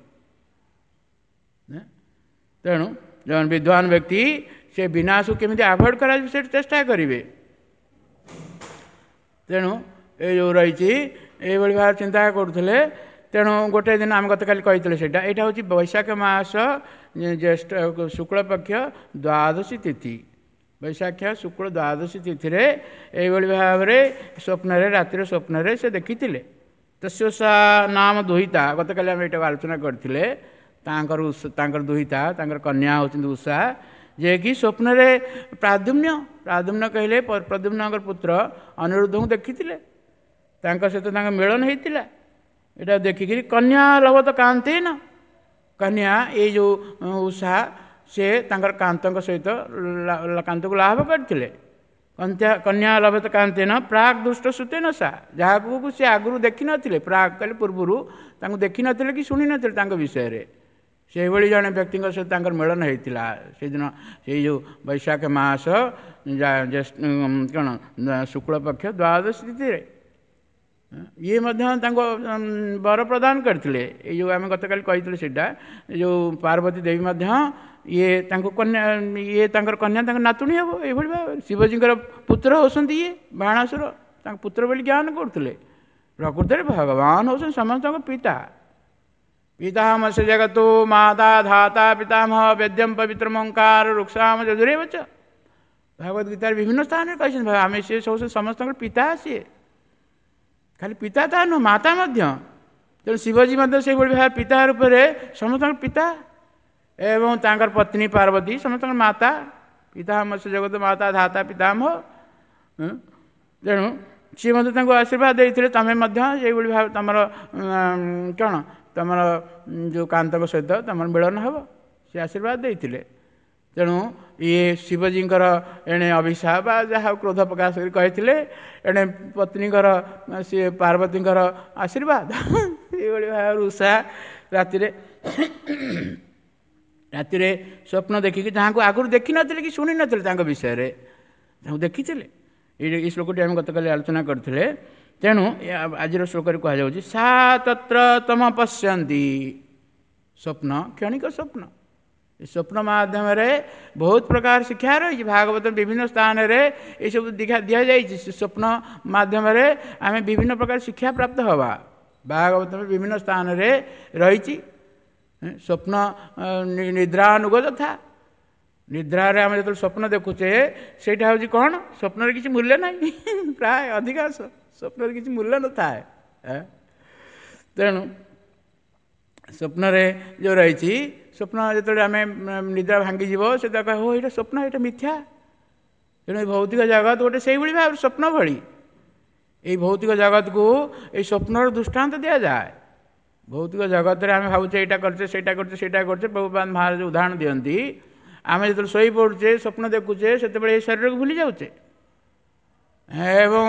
ତେଣୁ ଜଣେ ବିଦ୍ୱାନ ବ୍ୟକ୍ତି ସେ ବିନାଶକୁ କେମିତି ଆଭଏଡ଼ କରାଯିବ ସେଠି ଚେଷ୍ଟା କରିବେ। ତେଣୁ ଏ ଯେଉଁ ରହିଛି ଏଇଭଳି ଭାବରେ ଚିନ୍ତା କରୁଥିଲେ। ତେଣୁ ଗୋଟେ ଦିନ ଆମେ ଗତକାଲି କହିଥିଲେ ସେଇଟା, ଏଇଟା ହେଉଛି ବୈଶାଖ ମାସ ଜ୍ୟେଷ୍ଠ ଶୁକ୍ଳପକ୍ଷ ଦ୍ୱାଦଶୀ ତିଥି। ବୈଶାଖ ଶୁକ୍ଳ ଦ୍ୱାଦଶୀ ତିଥିରେ ଏଇଭଳି ଭାବରେ ସ୍ୱପ୍ନରେ, ରାତିରେ ସ୍ୱପ୍ନରେ ସେ ଦେଖିଥିଲେ। ତସ୍ୟ ସା ନାମ ଦୁହିତା, ଗତକାଲି ଆମେ ଏଇଟାକୁ ଆଲୋଚନା କରିଥିଲେ। ତାଙ୍କର ଦୁହିତା, ତାଙ୍କର କନ୍ୟା ହେଉଛନ୍ତି ଉଷା, ଯିଏକି ସ୍ୱପ୍ନରେ ପ୍ରାଦ୍ୟୁମ୍ନ, ପ୍ରାଦ୍ୟୁମ୍ନ କହିଲେ ପ୍ରଦ୍ୟୁମ୍ନଙ୍କର ପୁତ୍ର ଅନିରୁଦ୍ଧଙ୍କୁ ଦେଖିଥିଲେ, ତାଙ୍କ ସହିତ ତାଙ୍କ ମିଳନ ହେଇଥିଲା। ଏଇଟା ଦେଖିକିରି କନ୍ୟା ଲଭତ କାନ୍ତେନ, କନ୍ୟା ଏଇ ଯେଉଁ ଉଷା ସେ ତାଙ୍କର କାନ୍ତଙ୍କ ସହିତ କାନ୍ତକୁ ଲାଭ କରିଥିଲେ। କନ୍ୟା ଲଭତ କାନ୍ତେନ ପ୍ରାକ୍ ଦୃଷ୍ଟ ସୁତେନ ସା, ଯାହାକୁ ସେ ଆଗରୁ ଦେଖିନଥିଲେ, ପ୍ରାକ୍ କହିଲେ ପୂର୍ବରୁ ତାଙ୍କୁ ଦେଖିନଥିଲେ କି ଶୁଣିନଥିଲେ ତାଙ୍କ ବିଷୟରେ, ସେଇଭଳି ଜଣେ ବ୍ୟକ୍ତିଙ୍କ ସହିତ ତାଙ୍କର ମିଳନ ହେଇଥିଲା ସେଦିନ, ସେଇ ଯେଉଁ ବୈଶାଖ ମାସ କ'ଣ ଶୁକ୍ଳପକ୍ଷ ଦ୍ୱାଦଶୀ ତିଥିରେ। ଇଏ ମଧ୍ୟ ତାଙ୍କୁ ବର ପ୍ରଦାନ କରିଥିଲେ। ଏଇ ଯେଉଁ ଆମେ ଗତକାଲି କହିଥିଲୁ ସେଇଟା, ଏ ଯେଉଁ ପାର୍ବତୀ ଦେବୀ ମଧ୍ୟ ଇଏ ତାଙ୍କୁ କନ୍ୟା, ଇଏ ତାଙ୍କର କନ୍ୟା ତାଙ୍କ ନାତୁଣୀ ହେବ, ଏଇଭଳି ଭାବରେ ଶିବଜୀଙ୍କର ପୁତ୍ର ହେଉଛନ୍ତି ଇଏ ବାଣାସୁର, ତାଙ୍କ ପୁତ୍ର ବୋଲି ଜ୍ଞାନ କରୁଥିଲେ। ପ୍ରକୃତରେ ଭଗବାନ ହେଉଛନ୍ତି ସମସ୍ତଙ୍କ ପିତା। ପିତାମହ ଜଗତୋ ମାତା ଧାତା ପିତାମହ ବେଦ୍ୟମ ପବିତ୍ରମଙ୍କାର ରୁକ୍ଷାମ ଯଜୁରେବ ଚ। ଭଗବତ ଗୀତାରେ ବିଭିନ୍ନ ସ୍ଥାନରେ କହିଛନ୍ତି ଆମେ ସିଏ ସବୁ ସମସ୍ତଙ୍କର ପିତା, ସିଏ ଖାଲି ପିତା ତା ନୁହଁ ମାତା ମଧ୍ୟ। ତେଣୁ ଶିବଜୀ ମଧ୍ୟ ସେଇଭଳି ଭାବେ ପିତା ରୂପରେ ସମସ୍ତଙ୍କର ପିତା, ଏବଂ ତାଙ୍କର ପତ୍ନୀ ପାର୍ବତୀ ସମସ୍ତଙ୍କର ମାତା। ପିତାମହ ଜଗତ ମାତା ଧାତା ପିତାମହ। ତେଣୁ ସିଏ ମଧ୍ୟ ତାଙ୍କୁ ଆଶୀର୍ବାଦ ଦେଇଥିଲେ, ତମେ ମଧ୍ୟ ସେଇଭଳି ଭାବେ ତମର କ'ଣ ତମର ଯେଉଁ କାନ୍ତଙ୍କ ସହିତ ତମର ମିଳନ ହେବ, ସେ ଆଶୀର୍ବାଦ ଦେଇଥିଲେ। ତେଣୁ ଇଏ ଶିବଜୀଙ୍କର ଏଣେ ଅଭିଶାପ ବା ଯାହା କ୍ରୋଧ ପ୍ରକାଶ କରି କହିଥିଲେ, ଏଣେ ପତ୍ନୀଙ୍କର ସିଏ ପାର୍ବତୀଙ୍କର ଆଶୀର୍ବାଦ। ଏଇଭଳି ଭାବରେ ଉଷା ରାତିରେ ରାତିରେ ସ୍ୱପ୍ନ ଦେଖିକି, ଯାହାକୁ ଆଗରୁ ଦେଖିନଥିଲେ କି ଶୁଣିନଥିଲେ ତାଙ୍କ ବିଷୟରେ, ତାଙ୍କୁ ଦେଖିଥିଲେ। ଏଇ ଶ୍ଲୋକଟି ଆମେ ଗତକାଲି ଆଲୋଚନା କରିଥିଲେ। ତେଣୁ ଆଜିର ଶ୍ଲୋକରେ କୁହାଯାଉଛି ସା ତତ୍ର ତମ ପଶ୍ୟନ୍ତି, ସ୍ୱପ୍ନ କ୍ଷଣିକ ସ୍ୱପ୍ନ। ଏ ସ୍ୱପ୍ନ ମାଧ୍ୟମରେ ବହୁତ ପ୍ରକାର ଶିକ୍ଷା ରହିଛି। ଭାଗବତ ବିଭିନ୍ନ ସ୍ଥାନରେ ଏସବୁ ଦିଆଯାଇଛି। ସ୍ୱପ୍ନ ମାଧ୍ୟମରେ ଆମେ ବିଭିନ୍ନ ପ୍ରକାର ଶିକ୍ଷା ପ୍ରାପ୍ତ ହେବା। ଭାଗବତ ବିଭିନ୍ନ ସ୍ଥାନରେ ରହିଛି ସ୍ୱପ୍ନ ନିଦ୍ରାନୁଗ ଯଥା। ନିଦ୍ରାରେ ଆମେ ଯେତେବେଳେ ସ୍ୱପ୍ନ ଦେଖୁଛେ ସେଇଟା ହେଉଛି କ'ଣ? ସ୍ୱପ୍ନରେ କିଛି ମୂଲ୍ୟ ନାହିଁ। ପ୍ରାୟ ଅଧିକାଂଶ ସ୍ୱପ୍ନରେ କିଛି ମୂଲ୍ୟ ନଥାଏ। ତେଣୁ ସ୍ୱପ୍ନରେ ଯେଉଁ ରହିଛି, ସ୍ୱପ୍ନ ଯେତେବେଳେ ଆମେ ନିଦ୍ରା ଭାଙ୍ଗିଯିବ ସେତେବେଳେ କହିବ ଏଇଟା ସ୍ୱପ୍ନ, ଏଇଟା ମିଥ୍ୟା। ତେଣୁ ଏ ଭୌତିକ ଜଗତ ଗୋଟେ ସେଇଭଳି ଭାବରେ ସ୍ୱପ୍ନ ଭଳି। ଏଇ ଭୌତିକ ଜଗତକୁ ଏଇ ସ୍ୱପ୍ନର ଦୃଷ୍ଟାନ୍ତ ଦିଆଯାଏ। ଭୌତିକ ଜଗତରେ ଆମେ ଭାବୁଛେ ଏଇଟା କରୁଛେ, ସେଇଟା କରୁଛେ, ସେଇଟା କରୁଛେ। ପ୍ରଭୁପାଦ ମହାରାଜ ଉଦାହରଣ ଦିଅନ୍ତି, ଆମେ ଯେତେବେଳେ ଶୋଇପଡ଼ୁଛେ, ସ୍ୱପ୍ନ ଦେଖୁଛେ, ସେତେବେଳେ ଏଇ ଶରୀରକୁ ଭୁଲି ଯାଉଛେ, ଏବଂ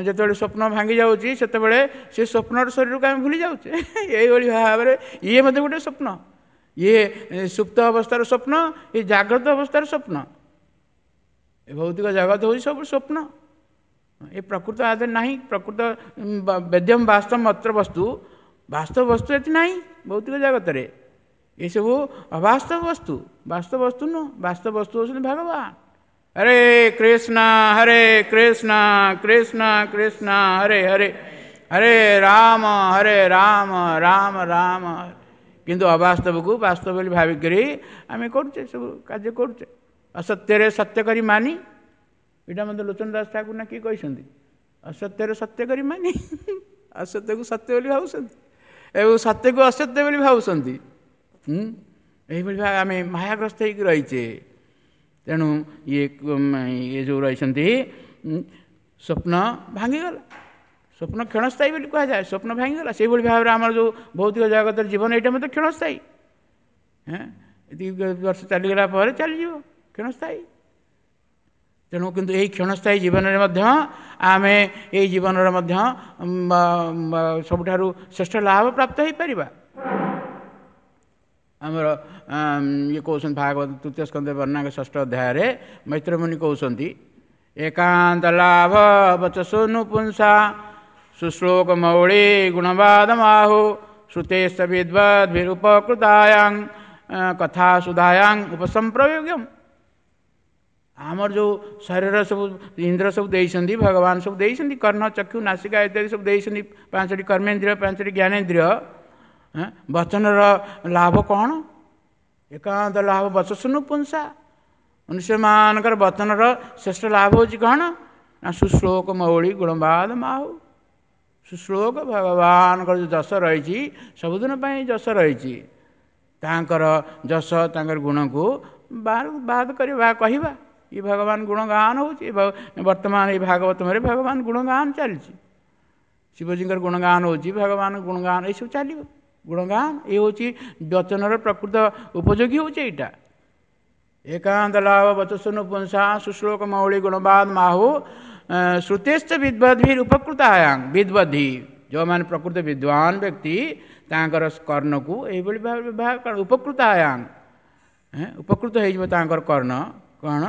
ଯେତେବେଳେ ସ୍ୱପ୍ନ ଭାଙ୍ଗି ଯାଉଛି ସେତେବେଳେ ସେ ସ୍ୱପ୍ନର ଶରୀରକୁ ଆମେ ଭୁଲି ଯାଉଛେ। ଏଇଭଳି ଭାବରେ ଇଏ ମଧ୍ୟ ଗୋଟେ ସ୍ୱପ୍ନ। ଇଏ ସୁପ୍ତ ଅବସ୍ଥାର ସ୍ୱପ୍ନ, ଇଏ ଜାଗ୍ରତ ଅବସ୍ଥାର ସ୍ୱପ୍ନ। ଏ ଭୌତିକ ଜଗତ ହେଉଛି ସବୁ ସ୍ୱପ୍ନ। ଏ ପ୍ରକୃତ ଆଧାର ନାହିଁ। ପ୍ରକୃତ ବେଦ୍ୟମ ବାସ୍ତବ ମାତ୍ର ବସ୍ତୁ, ବାସ୍ତବ ବସ୍ତୁ ଏଠି ନାହିଁ ଭୌତିକ ଜଗତରେ। ଏସବୁ ଅବାସ୍ତବ ବସ୍ତୁ, ବାସ୍ତବ ବସ୍ତୁ ନୁହଁ। ବାସ୍ତବ ବସ୍ତୁ ହେଉଛନ୍ତି ଭଗବାନ। ହରେ କୃଷ୍ଣ ହରେ କୃଷ୍ଣ କୃଷ୍ଣ କୃଷ୍ଣ ହରେ ହରେ, ହରେ ରାମ ହରେ ରାମ ରାମ ରାମ। କିନ୍ତୁ ଅବାସ୍ତବକୁ ବାସ୍ତବ ବୋଲି ଭାବିକରି ଆମେ କରୁଛେ, ସବୁ କାର୍ଯ୍ୟ କରୁଛେ। ଅସତ୍ୟରେ ସତ୍ୟ କରି ମାନି, ଏଇଟା ମଧ୍ୟ ଲୋଚନ ଦାସ ଠାକୁର ନା କିଏ କହିଛନ୍ତି, ଅସତ୍ୟରେ ସତ୍ୟ କରି ମାନି। ଅସତ୍ୟକୁ ସତ୍ୟ ବୋଲି ଭାବୁଛନ୍ତି ଏବଂ ସତ୍ୟକୁ ଅସତ୍ୟ ବୋଲି ଭାବୁଛନ୍ତି। ଏଇଭଳି ଭାବେ ଆମେ ମାୟାଗ୍ରସ୍ତ ହେଇକି ରହିଛେ। ତେଣୁ ଇଏ ଯେଉଁ ରହିଛନ୍ତି, ସ୍ୱପ୍ନ ଭାଙ୍ଗିଗଲା। ସ୍ୱପ୍ନ କ୍ଷଣସ୍ଥାୟୀ ବୋଲି କୁହାଯାଏ। ସ୍ୱପ୍ନ ଭାଙ୍ଗିଗଲା। ସେଇଭଳି ଭାବରେ ଆମର ଯେଉଁ ଭୌତିକ ଜଗତର ଜୀବନ, ଏଇଟା ମଧ୍ୟ କ୍ଷଣସ୍ଥାୟୀ। ଏତିକି ବର୍ଷ ଚାଲିଗଲା ପରେ ଚାଲିଯିବ, କ୍ଷଣସ୍ଥାୟୀ। ତେଣୁ କିନ୍ତୁ ଏଇ କ୍ଷଣସ୍ଥାୟୀ ଜୀବନରେ ମଧ୍ୟ ଆମେ ଏଇ ଜୀବନର ମଧ୍ୟ ସବୁଠାରୁ ଶ୍ରେଷ୍ଠ ଲାଭ ପ୍ରାପ୍ତ ହେଇପାରିବା। ଆମର ଇଏ କହୁଛନ୍ତି ଭାଗବତ ତୃତୀୟ ସ୍କନ୍ଧ ବର୍ଣ୍ଣାଙ୍କ ଷଷ୍ଠ ଅଧ୍ୟାୟରେ ମୈତ୍ରମୁନି କହୁଛନ୍ତି, ଏକାନ୍ତ ଲାଭ ବଚସୁନୁ ପୁଂସା ସୁଶ୍ଲୋକ ମୌଳି ଗୁଣବାଦ ମାହୁ ଶ୍ରୁତେଶ ବିଦ୍ବଦ୍ଭିରୁପକୃତାୟାଂ କଥା ସୁଧାୟାଂ ଉପସମ୍ପ୍ରୟୋଗ୍ୟମ। ଆମର ଯେଉଁ ଶରୀର ସବୁ ଇନ୍ଦ୍ର ସବୁ ଦେଇଛନ୍ତି, ଭଗବାନ ସବୁ ଦେଇଛନ୍ତି, କର୍ଣ୍ଣ ଚକ୍ଷୁ ନାସିକା ଇତ୍ୟାଦି ସବୁ ଦେଇଛନ୍ତି, 5ଟି କର୍ମେନ୍ଦ୍ରିୟ 5ଟି ଜ୍ଞାନେନ୍ଦ୍ରିୟ। ବଚନର ଲାଭ କ'ଣ? ଏକାନ୍ତ ଲାଭ ବଚସୁନୁ ପୁଂସା। ମନୁଷ୍ୟମାନଙ୍କର ବଚନର ଶ୍ରେଷ୍ଠ ଲାଭ ହେଉଛି କ'ଣ? ନା ସୁଶ୍ଲୋକ ମୌଳି ଗୁଣବାଦ ମାହୁ। ସୁଶ୍ଲୋକ ଭଗବାନଙ୍କର ଯେଉଁ ଯଶ ରହିଛି, ସବୁଦିନ ପାଇଁ ଯଶ ରହିଛି, ତାଙ୍କର ଯଶ ତାଙ୍କର ଗୁଣକୁ ବାଦ କରିବା କହିବା। ଏ ଭଗବାନ ଗୁଣଗାନ ହେଉଛି। ବର୍ତ୍ତମାନ ଏଇ ଭାଗବତରେ ଭଗବାନ ଗୁଣଗାନ ଚାଲିଛି, ଶିବଜୀଙ୍କର ଗୁଣଗାନ ହେଉଛି, ଭଗବାନ ଗୁଣଗାନ ଏସବୁ ଚାଲିବ। ଗୁଣଗାନ ଏ ହେଉଛି ବଚନର ପ୍ରକୃତ ଉପଯୋଗୀ ହେଉଛି ଏଇଟା। ଏକାନ୍ତ ଲାଭ ବଚସୁନୁ ପୁଂସା ସୁଶ୍ଲୋକ ମୌଳି ଗୁଣବାଦ ମାହୁ ଶ୍ରୁତେଶ୍ଚ ବିଦ୍ବଦ୍ଭିର ଉପକୃତାୟାଂ। ବିଦ୍ବଦ୍ଧି ଯେଉଁମାନେ ପ୍ରକୃତ ବିଦ୍ୱାନ ବ୍ୟକ୍ତି, ତାଙ୍କର କର୍ଣ୍ଣକୁ ଏଇଭଳି ଭାବେ ବ୍ୟବହାର ଉପକୃତାୟାଂ, ଉପକୃତ ହେଇଯିବ ତାଙ୍କର କର୍ଣ୍ଣ। କ'ଣ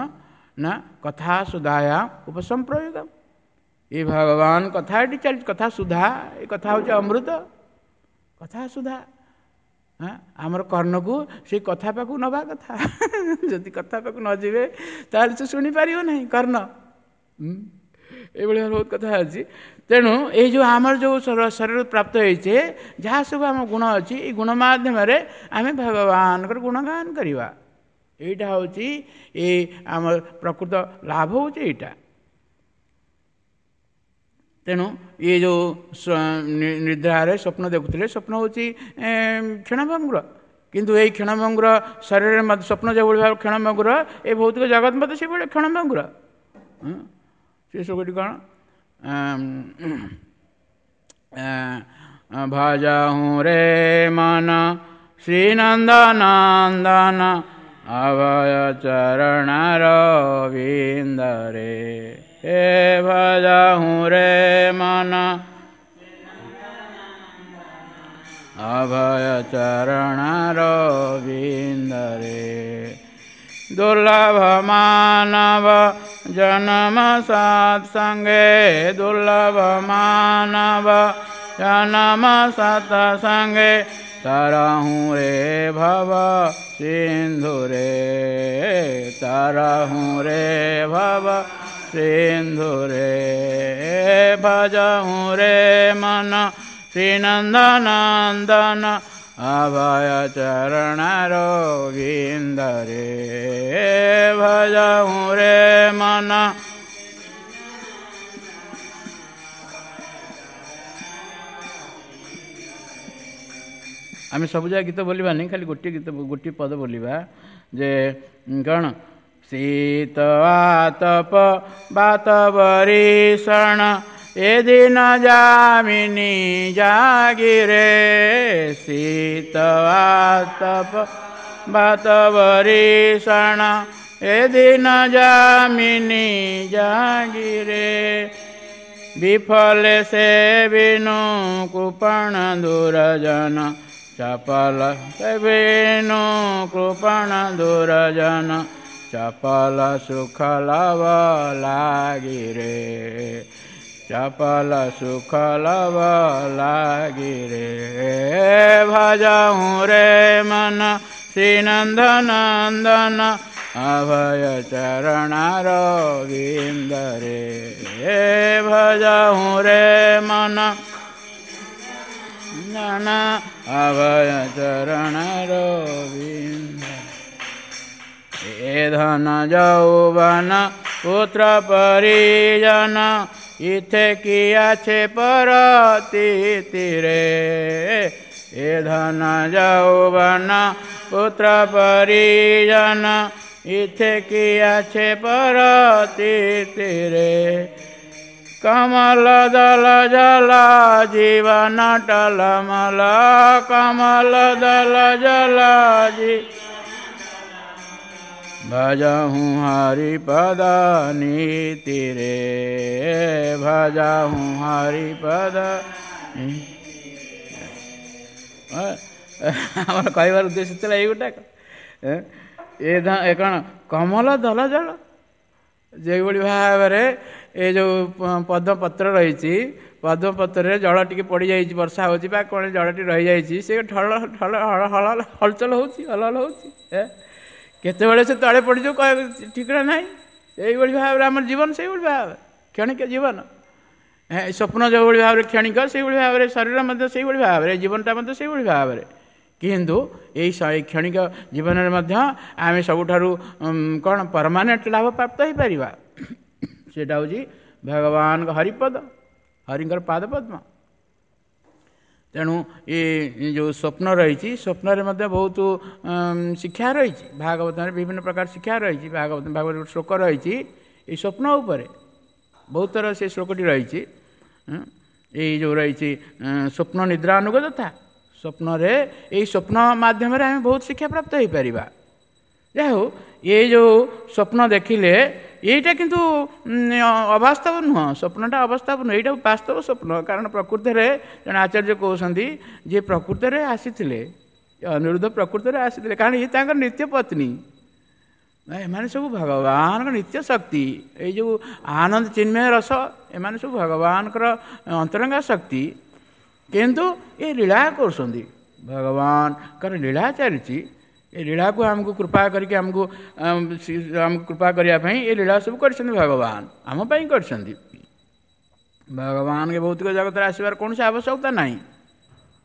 ନା କଥା ସୁଧାୟା ଉପସମ୍ପ୍ରୟୋଗ। ଏ ଭଗବାନ କଥା ଏଠି ଚାଲିଛି, କଥା ସୁଧା, ଏ କଥା ହେଉଛି ଅମୃତ କଥା ସୁଧା। ଆମର କର୍ଣ୍ଣକୁ ସେଇ କଥା ପାଖକୁ ନେବା କଥା। ଯଦି କଥା ପାଖକୁ ନ ଯିବେ ତାହେଲେ ସେ ଶୁଣିପାରିବ ନାହିଁ କର୍ଣ୍ଣ। ଏଇଭଳି ବହୁତ କଥା ଅଛି। ତେଣୁ ଏଇ ଯେଉଁ ଆମର ଯେଉଁ ଶରୀର ପ୍ରାପ୍ତ ହେଇଛେ, ଯାହା ସବୁ ଆମ ଗୁଣ ଅଛି, ଏଇ ଗୁଣ ମାଧ୍ୟମରେ ଆମେ ଭଗବାନଙ୍କର ଗୁଣଗାନ କରିବା। ଏଇଟା ହେଉଛି ଏଇ ଆମ ପ୍ରକୃତ ଲାଭ ହେଉଛି ଏଇଟା। ତେଣୁ ଇଏ ଯେଉଁ ନିଦ୍ରାରେ ସ୍ୱପ୍ନ ଦେଖୁଥିଲେ, ସ୍ୱପ୍ନ ହେଉଛି କ୍ଷଣଭଙ୍ଗୁର। କିନ୍ତୁ ଏଇ କ୍ଷଣଭଙ୍ଗୁର ଶରୀରରେ ମଧ୍ୟ ସ୍ୱପ୍ନ ଯେଉଁଭଳି ଭାବେ କ୍ଷଣଭଙ୍ଗୁର, ଏ ଭୌତିକ ଜଗତ ମଧ୍ୟ ସେଇଭଳି କ୍ଷଣଭଙ୍ଗୁର। ସେ ସବୁଟି କ'ଣ? ଭଜହୁଁ ରେ ମନ ଶ୍ରୀନନ୍ଦନନ୍ଦନ ଅଭୟ ଚରଣର ବିନ୍ଦରେ, ହେ ଭଜହୁଁ ରେ ମନ ଅଭୟ ଚରଣର ବିନ୍ଦରେ। ଦୁର୍ଲଭ ମାନବ ଜନ୍ମ ସତ୍ସଙ୍ଗେ, ଦୁର୍ଲଭ ମାନବ ଜନ୍ମ ସତ୍ସଙ୍ଗେ, तरहूँ रे भव सिंधु रे, तरहूँ रे भव सिंधु रे, भजहूँ रे मन श्रीनंदनंदन अभय चरण गोविंद रे, भजहूँ रे मन। ଆମେ ସବୁ ଯାକ ଗୀତ ବୋଲିବାନି, ଖାଲି ଗୋଟିଏ ଗୀତ ଗୋଟିଏ ପଦ ବୋଲିବା ଯେ କ'ଣ ଶୀତ ଆତପ ବାତ ବରିଷଣ ଏ ଦିନ ଯାମିନୀ ଜାଗିରେ, ଶୀତ ଆତପ ବାତ ବରିଷଣ ଏ ଦିନ ଯାମିନୀ ଜାଗିରେ, ବିଫଲେ ସେ ବିନୁ କୃପଣ ଦୁରଜନ ଚପଲ ବିନୁ କୃପଣ ଦୁରଜନ ଚପଲ ସୁଖ ଲବ ଲାଗିରେ, ଚପଲ ସୁଖ ଲବ ଲାଗିରେ, ଭଜହୁଁ ରେ ମନ ଶ୍ରୀନନ୍ଦନନ୍ଦନ ଅଭୟ ଚରଣାର ବିନ୍ଦରେ, ଭଜହୁଁ ରେ ମନ ଅଭୟ ଚରଣାର ବିନ୍ଦ। ଏ ଧନ ଯୌବନ ପୁତ୍ର ପରିଜନ ଇଥେ କି আছে ପରତିରେ, ଏ ଧନ ଯୌବନ ପୁତ୍ର ପରିଜନ ଇଥେ କି আছে ପରତିରେ, କମଲ ଦଲ ଜଲ ଜୀବନ ଟଲମଲ, କମଲ ଦଲ ଜଲ ଜୀ ଭଜହୁଁ ହରିପଦ ନୀତିରେ, ଭଜହୁଁ ହରିପଦ। ଆମର କହିବାର ଉଦ୍ଦେଶ୍ୟ ଥିଲା ଏଇ ଗୋଟାକ, ଏ କ'ଣ କମଲ ଦଲ ଜଳ, ଯେଉଁଭଳି ଭାବରେ ଏ ଯେଉଁ ପଦ୍ମପତ୍ର ରହିଛି, ପଦ୍ମପତ୍ରରେ ଜଳ ଟିକେ ପଡ଼ିଯାଇଛି, ବର୍ଷା ହେଉଛି ବା କ'ଣ ଜଳଟି ରହିଯାଇଛି, ସେ ଠଳ ଠଳ ହଳ ହଳ ହଲଚଲ ହେଉଛି, ହଲ ହଲ ହେଉଛି, କେତେବେଳେ ସେ ତଳେ ପଡ଼ିଯିବ ଠିକଣା ନାହିଁ। ଏଇଭଳି ଭାବରେ ଆମର ଜୀବନ ସେଇଭଳି ଭାବରେ କ୍ଷଣିକ ଜୀବନ, ସ୍ୱପ୍ନ ଯେଉଁଭଳି ଭାବରେ କ୍ଷଣିକ ସେଇଭଳି ଭାବରେ ଶରୀର ମଧ୍ୟ ସେଇଭଳି ଭାବରେ, ଜୀବନଟା ମଧ୍ୟ ସେଇଭଳି ଭାବରେ। କିନ୍ତୁ ଏଇ କ୍ଷଣିକ ଜୀବନରେ ମଧ୍ୟ ଆମେ ସବୁଠାରୁ କ'ଣ ପରମାନେଣ୍ଟ ଲାଭ ପ୍ରାପ୍ତ ହେଇପାରିବା, ସେଇଟା ହେଉଛି ଭଗବାନଙ୍କ ହରିପଦ, ହରିଙ୍କର ପାଦପଦ୍ମ। ତେଣୁ ଏ ଯେଉଁ ସ୍ୱପ୍ନ ରହିଛି, ସ୍ୱପ୍ନରେ ମଧ୍ୟ ବହୁତ ଶିକ୍ଷା ରହିଛି, ଭାଗବତରେ ବିଭିନ୍ନ ପ୍ରକାର ଶିକ୍ଷା ରହିଛି, ଭାଗବତ ଭାଗବତ ଗୋଟେ ଶ୍ଲୋକ ରହିଛି ଏଇ ସ୍ୱପ୍ନ ଉପରେ, ବହୁତ ଥର ସେ ଶ୍ଲୋକଟି ରହିଛି। ଏଇ ଯେଉଁ ରହିଛି ସ୍ୱପ୍ନ ନିଦ୍ରା ଅନୁଗତ ତଥା, ସ୍ୱପ୍ନରେ ଏଇ ସ୍ୱପ୍ନ ମାଧ୍ୟମରେ ଆମେ ବହୁତ ଶିକ୍ଷା ପ୍ରାପ୍ତ ହେଇପାରିବା। ଯାହା ହଉ, ଏଇ ଯେଉଁ ସ୍ୱପ୍ନ ଦେଖିଲେ ଏଇଟା କିନ୍ତୁ ଅବାସ୍ତବ ନୁହଁ, ସ୍ୱପ୍ନଟା ଅବାସ୍ତବ ନୁହଁ, ଏଇଟା ବାସ୍ତବ ସ୍ୱପ୍ନ। କାରଣ ପ୍ରକୃତରେ ଜଣେ ଆଚାର୍ଯ୍ୟ କହୁଛନ୍ତି ଯେ ପ୍ରକୃତରେ ଆସିଥିଲେ ଅନିରୁଦ୍ଧ, ପ୍ରକୃତରେ ଆସିଥିଲେ, କାରଣ ଇଏ ତାଙ୍କର ନିତ୍ୟ ପତ୍ନୀ, ଏମାନେ ସବୁ ଭଗବାନଙ୍କ ନିତ୍ୟ ଶକ୍ତି। ଏଇ ଯେଉଁ ଆନନ୍ଦ ଚିନ୍ମୟ ରସ, ଏମାନେ ସବୁ ଭଗବାନଙ୍କର ଅନ୍ତରଙ୍ଗା ଶକ୍ତି, କିନ୍ତୁ ଏ ଲୀଳା କରୁଛନ୍ତି, ଭଗବାନଙ୍କର ଲୀଳା ଚାଲିଛି। ଏ ଲୀଳାକୁ ଆମକୁ କୃପା କରିକି ଆମକୁ କୃପା କରିବା ପାଇଁ ଏ ଲୀଳା ସବୁ କରିଛନ୍ତି ଭଗବାନ, ଆମ ପାଇଁ କରିଛନ୍ତି। ଭଗବାନଙ୍କ ଭୌତିକ ଜଗତରେ ଆସିବାର କୌଣସି ଆବଶ୍ୟକତା ନାହିଁ,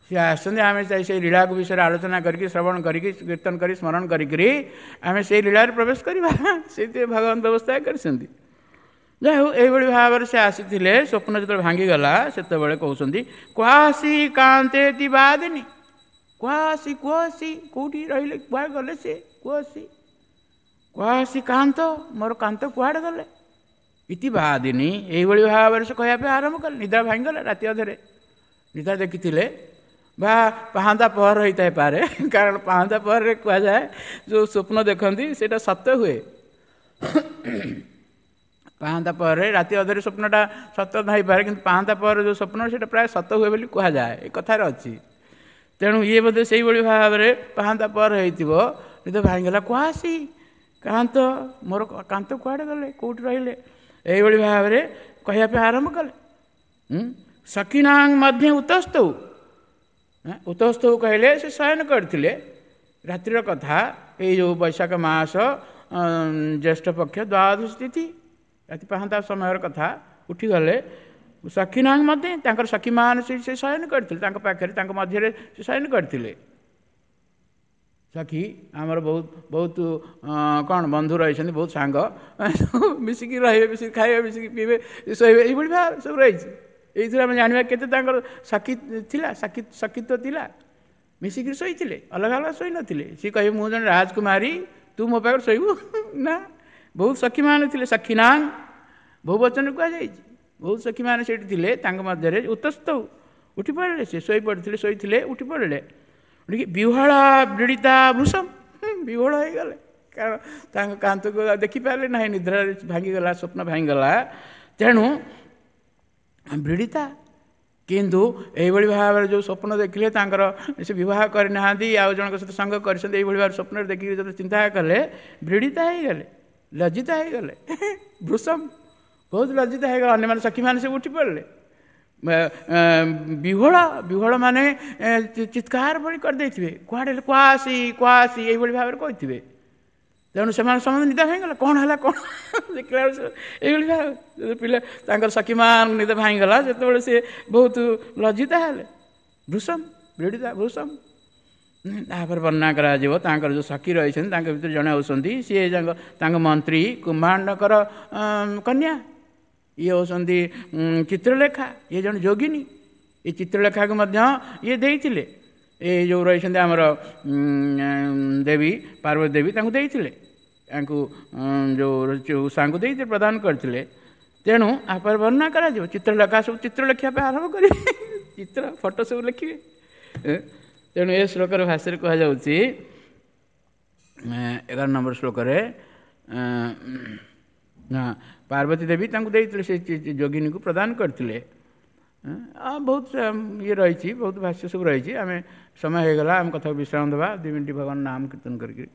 ସିଏ ଆସିଛନ୍ତି, ଆମେ ସେଇ ଲୀଳାକୁ ବିଷୟରେ ଆଲୋଚନା କରିକି ଶ୍ରବଣ କରିକି କୀର୍ତ୍ତନ କରି ସ୍ମରଣ କରିକିରି ଆମେ ସେଇ ଲୀଳାରେ ପ୍ରବେଶ କରିବା, ସେଇଥିପାଇଁ ଭଗବାନ ବ୍ୟବସ୍ଥା କରିଛନ୍ତି। ଯାହା ହଉ, ଏଇଭଳି ଭାବରେ ସେ ଆସିଥିଲେ। ସ୍ୱପ୍ନ ଯେତେବେଳେ ଭାଙ୍ଗିଗଲା ସେତେବେଳେ କହୁଛନ୍ତି କୁହାସି କାନ୍ତେ ବାଦିନି, କୁହାସି କୁହାସି କେଉଁଠି ରହିଲେ, କୁଆଡ଼େ ଗଲେ ସେ, କୁହାସି କୁହାସି କାନ୍ତ, ମୋର କାନ୍ତ କୁଆଡ଼େ ଗଲେ, ଇତି ବାଦିନି। ଏଇଭଳି ଭାବରେ ସେ କହିବା ପାଇଁ ଆରମ୍ଭ କଲେ। ନିଦ୍ରା ଭାଙ୍ଗିଗଲା ରାତି ଅଧରେ, ନିଦ୍ରା ଦେଖିଥିଲେ ବା ପାହାନ୍ତା ପହର ହେଇଥାଇପାରେ, କାରଣ ପାହାନ୍ତା ପହରରେ କୁହାଯାଏ ଯେଉଁ ସ୍ୱପ୍ନ ଦେଖନ୍ତି ସେଇଟା ସତ୍ୟ ହୁଏ। ପାହାନ୍ତା ପହରରେ ରାତି ଅଧରେ ସ୍ୱପ୍ନଟା ସତ ନ ହେଇପାରେ, କିନ୍ତୁ ପାହାନ୍ତା ପହରରେ ଯେଉଁ ସ୍ୱପ୍ନ ସେଇଟା ପ୍ରାୟ ସତ ହୁଏ ବୋଲି କୁହାଯାଏ, ଏ କଥାରେ ଅଛି। ତେଣୁ ଇଏ ବୋଧେ ସେଇଭଳି ଭାବରେ ପାହାନ୍ତା ପହର ହେଇଥିବ, ନିଦ ଭାଙ୍ଗିଗଲା, କୁହାସି କାନ୍ତ, ମୋର କାନ୍ତ କୁଆଡ଼େ ଗଲେ, କେଉଁଠି ରହିଲେ, ଏଇଭଳି ଭାବରେ କହିବା ପାଇଁ ଆରମ୍ଭ କଲେ। ସଖୀନାଂ ମଧ୍ୟ ଉତସ୍ତଉ, ଉତସ୍ତଉ କହିଲେ ସେ ଶୟନ କରିଥିଲେ। ରାତ୍ରିର କଥା, ଏଇ ଯେଉଁ ବୈଶାଖ ମାସ ଜ୍ୟେଷ୍ଠ ପକ୍ଷ ଦ୍ୱାଦଶ ତିଥି, ରାତି ପାହାନ୍ତା ସମୟର କଥା। ଉଠିଗଲେ ସଖୀନାଂ ମଧ୍ୟ, ତାଙ୍କର ସଖୀମାନେ ସେ ଶୟନ କରିଥିଲେ ତାଙ୍କ ପାଖରେ, ତାଙ୍କ ମଧ୍ୟରେ ସେ ଶୟନ କରିଥିଲେ। ସଖୀ ଆମର ବହୁତ ବହୁତ କ'ଣ ବନ୍ଧୁ ରହିଛନ୍ତି, ବହୁତ ସାଙ୍ଗ, ମିଶିକି ରହିବେ, ମିଶିକି ଖାଇବେ, ମିଶିକି ପିଇବେ, ଶୋଇବେ, ଏଇଭଳି ଭାବେ ସବୁ ରହିଛି। ଏଇଥିରେ ଆମେ ଜାଣିବା କେତେ ତାଙ୍କର ସଖୀ ଥିଲା, ସଖୀତ୍ୱ ଥିଲା। ମିଶିକିରି ଶୋଇଥିଲେ, ଅଲଗା ଅଲଗା ଶୋଇନଥିଲେ। ସିଏ କହିବେ ମୁଁ ଜଣେ ରାଜକୁମାରୀ, ତୁ ମୋ ପାଖରେ ଶୋଇବୁ ନା? ବହୁତ ସଖୀମାନେ ଥିଲେ। ସଖୀନାଂ ବହୁ ବଚନ କୁହାଯାଇଛି, ବହୁତ ସଖୀମାନେ ସେଇଠି ଥିଲେ। ତାଙ୍କ ମଧ୍ୟରେ ଉତସ୍ତ ଉଠି ପଡ଼ିଲେ, ସେ ଶୋଇ ପଡ଼ିଥିଲେ, ଶୋଇଥିଲେ, ଉଠି ପଡ଼ିଲେ। ଉଠିକି ବିହ୍ୱଳ ବ୍ରୀଡ଼ିତା ଭୃଷମ, ବିହ୍ୱଳ ହେଇଗଲେ, କାରଣ ତାଙ୍କ କାନ୍ତକୁ ଦେଖିପାରିଲେ ନାହିଁ, ନିଦ୍ରାରେ ଭାଙ୍ଗିଗଲା, ସ୍ୱପ୍ନ ଭାଙ୍ଗିଗଲା। ତେଣୁ ବ୍ରୀଡ଼ିତା, କିନ୍ତୁ ଏଇଭଳି ଭାବରେ ଯେଉଁ ସ୍ୱପ୍ନ ଦେଖିଲେ, ତାଙ୍କର ସେ ବିବାହ କରିନାହାନ୍ତି, ଆଉ ଜଣଙ୍କ ସହିତ ସଙ୍ଗ କରିଛନ୍ତି, ଏଇଭଳି ଭାବରେ ସ୍ୱପ୍ନରେ ଦେଖିକି ଯେତେବେଳେ ଚିନ୍ତା କଲେ, ବ୍ରୀଡ଼ିତା ହେଇଗଲେ, ଲଜ୍ଜିତା ହେଇଗଲେ, ଭୃଷମ ବହୁତ ଲଜ୍ଜିତା ହେଇଗଲେ। ଅନ୍ୟମାନେ ସଖୀମାନେ ସବୁ ଉଠି ପଡ଼ିଲେ। ବିହ୍ୱଳ, ବିହ୍ୱଳ ମାନେ ଚିତ୍କାର ଭଳି କରିଦେଇଥିବେ, କୁଆଡ଼େ କୁଆସି କୁଆସି ଏଇଭଳି ଭାବରେ କହିଥିବେ। ତେଣୁ ସେମାନେ ସମସ୍ତେ ନିଦ ଭାଙ୍ଗିଗଲା, କ'ଣ ହେଲା କ'ଣ ଦେଖିଲା ବେଳକୁ ଏଇଭଳି ଭାବେ ପିଲା ତାଙ୍କର ସଖୀମାନଙ୍କ ନିଦ ଭାଙ୍ଗିଗଲା। ସେତେବେଳେ ସେ ବହୁତ ଲଜ୍ଜିତା ହେଲେ, ଭୃଷମ ବ୍ରୀଡ଼ିତା ଭୃଷମ। ତାପରେ ବର୍ଣ୍ଣନା କରାଯିବ ତାଙ୍କର ଯେଉଁ ସଖୀ ରହିଛନ୍ତି, ତାଙ୍କ ଭିତରେ ଜଣେ ହେଉଛନ୍ତି ସିଏ ତାଙ୍କ ମନ୍ତ୍ରୀ କୁମ୍ଭାଣ୍ଡଙ୍କର କନ୍ୟା, ଇଏ ହେଉଛନ୍ତି ଚିତ୍ରଲେଖା, ଇଏ ଜଣେ ଯୋଗିନୀ। ଏ ଚିତ୍ରଲେଖାକୁ ମଧ୍ୟ ଇଏ ଦେଇଥିଲେ, ଏ ଯେଉଁ ରହିଛନ୍ତି ଆମର ଦେବୀ ପାର୍ବତୀ ଦେବୀ ତାଙ୍କୁ ଦେଇଥିଲେ, ତାଙ୍କୁ ଯେଉଁ ଉଷାଙ୍କୁ ଦେଇଥିଲେ, ପ୍ରଦାନ କରିଥିଲେ। ତେଣୁ ଆପରେ ବର୍ଣ୍ଣନା କରାଯିବ ଚିତ୍ରଲେଖା ସବୁ ଚିତ୍ର ଲେଖିବା ପାଇଁ ଆରମ୍ଭ କରିବେ, ଚିତ୍ର ଫଟୋ ସବୁ ଲେଖିବେ। ତେଣୁ ଏ ଶ୍ଲୋକର ଭାଷାରେ କୁହାଯାଉଛି 11 ନମ୍ବର ଶ୍ଲୋକରେ, ପାର୍ବତୀ ଦେବୀ ତାଙ୍କୁ ଦେଇଥିଲେ, ସେ ଯୋଗିନୀକୁ ପ୍ରଦାନ କରିଥିଲେ। ବହୁତ ଇଏ ରହିଛି, ବହୁତ ଭାଷ୍ୟ ସବୁ ରହିଛି। ଆମେ ସମୟ ହେଇଗଲା, ଆମେ କଥାକୁ ବିଶ୍ରାମ ଦେବା 2 ମିନିଟ୍ ଭଗବାନ ନାମ କୀର୍ତ୍ତନ କରିକି।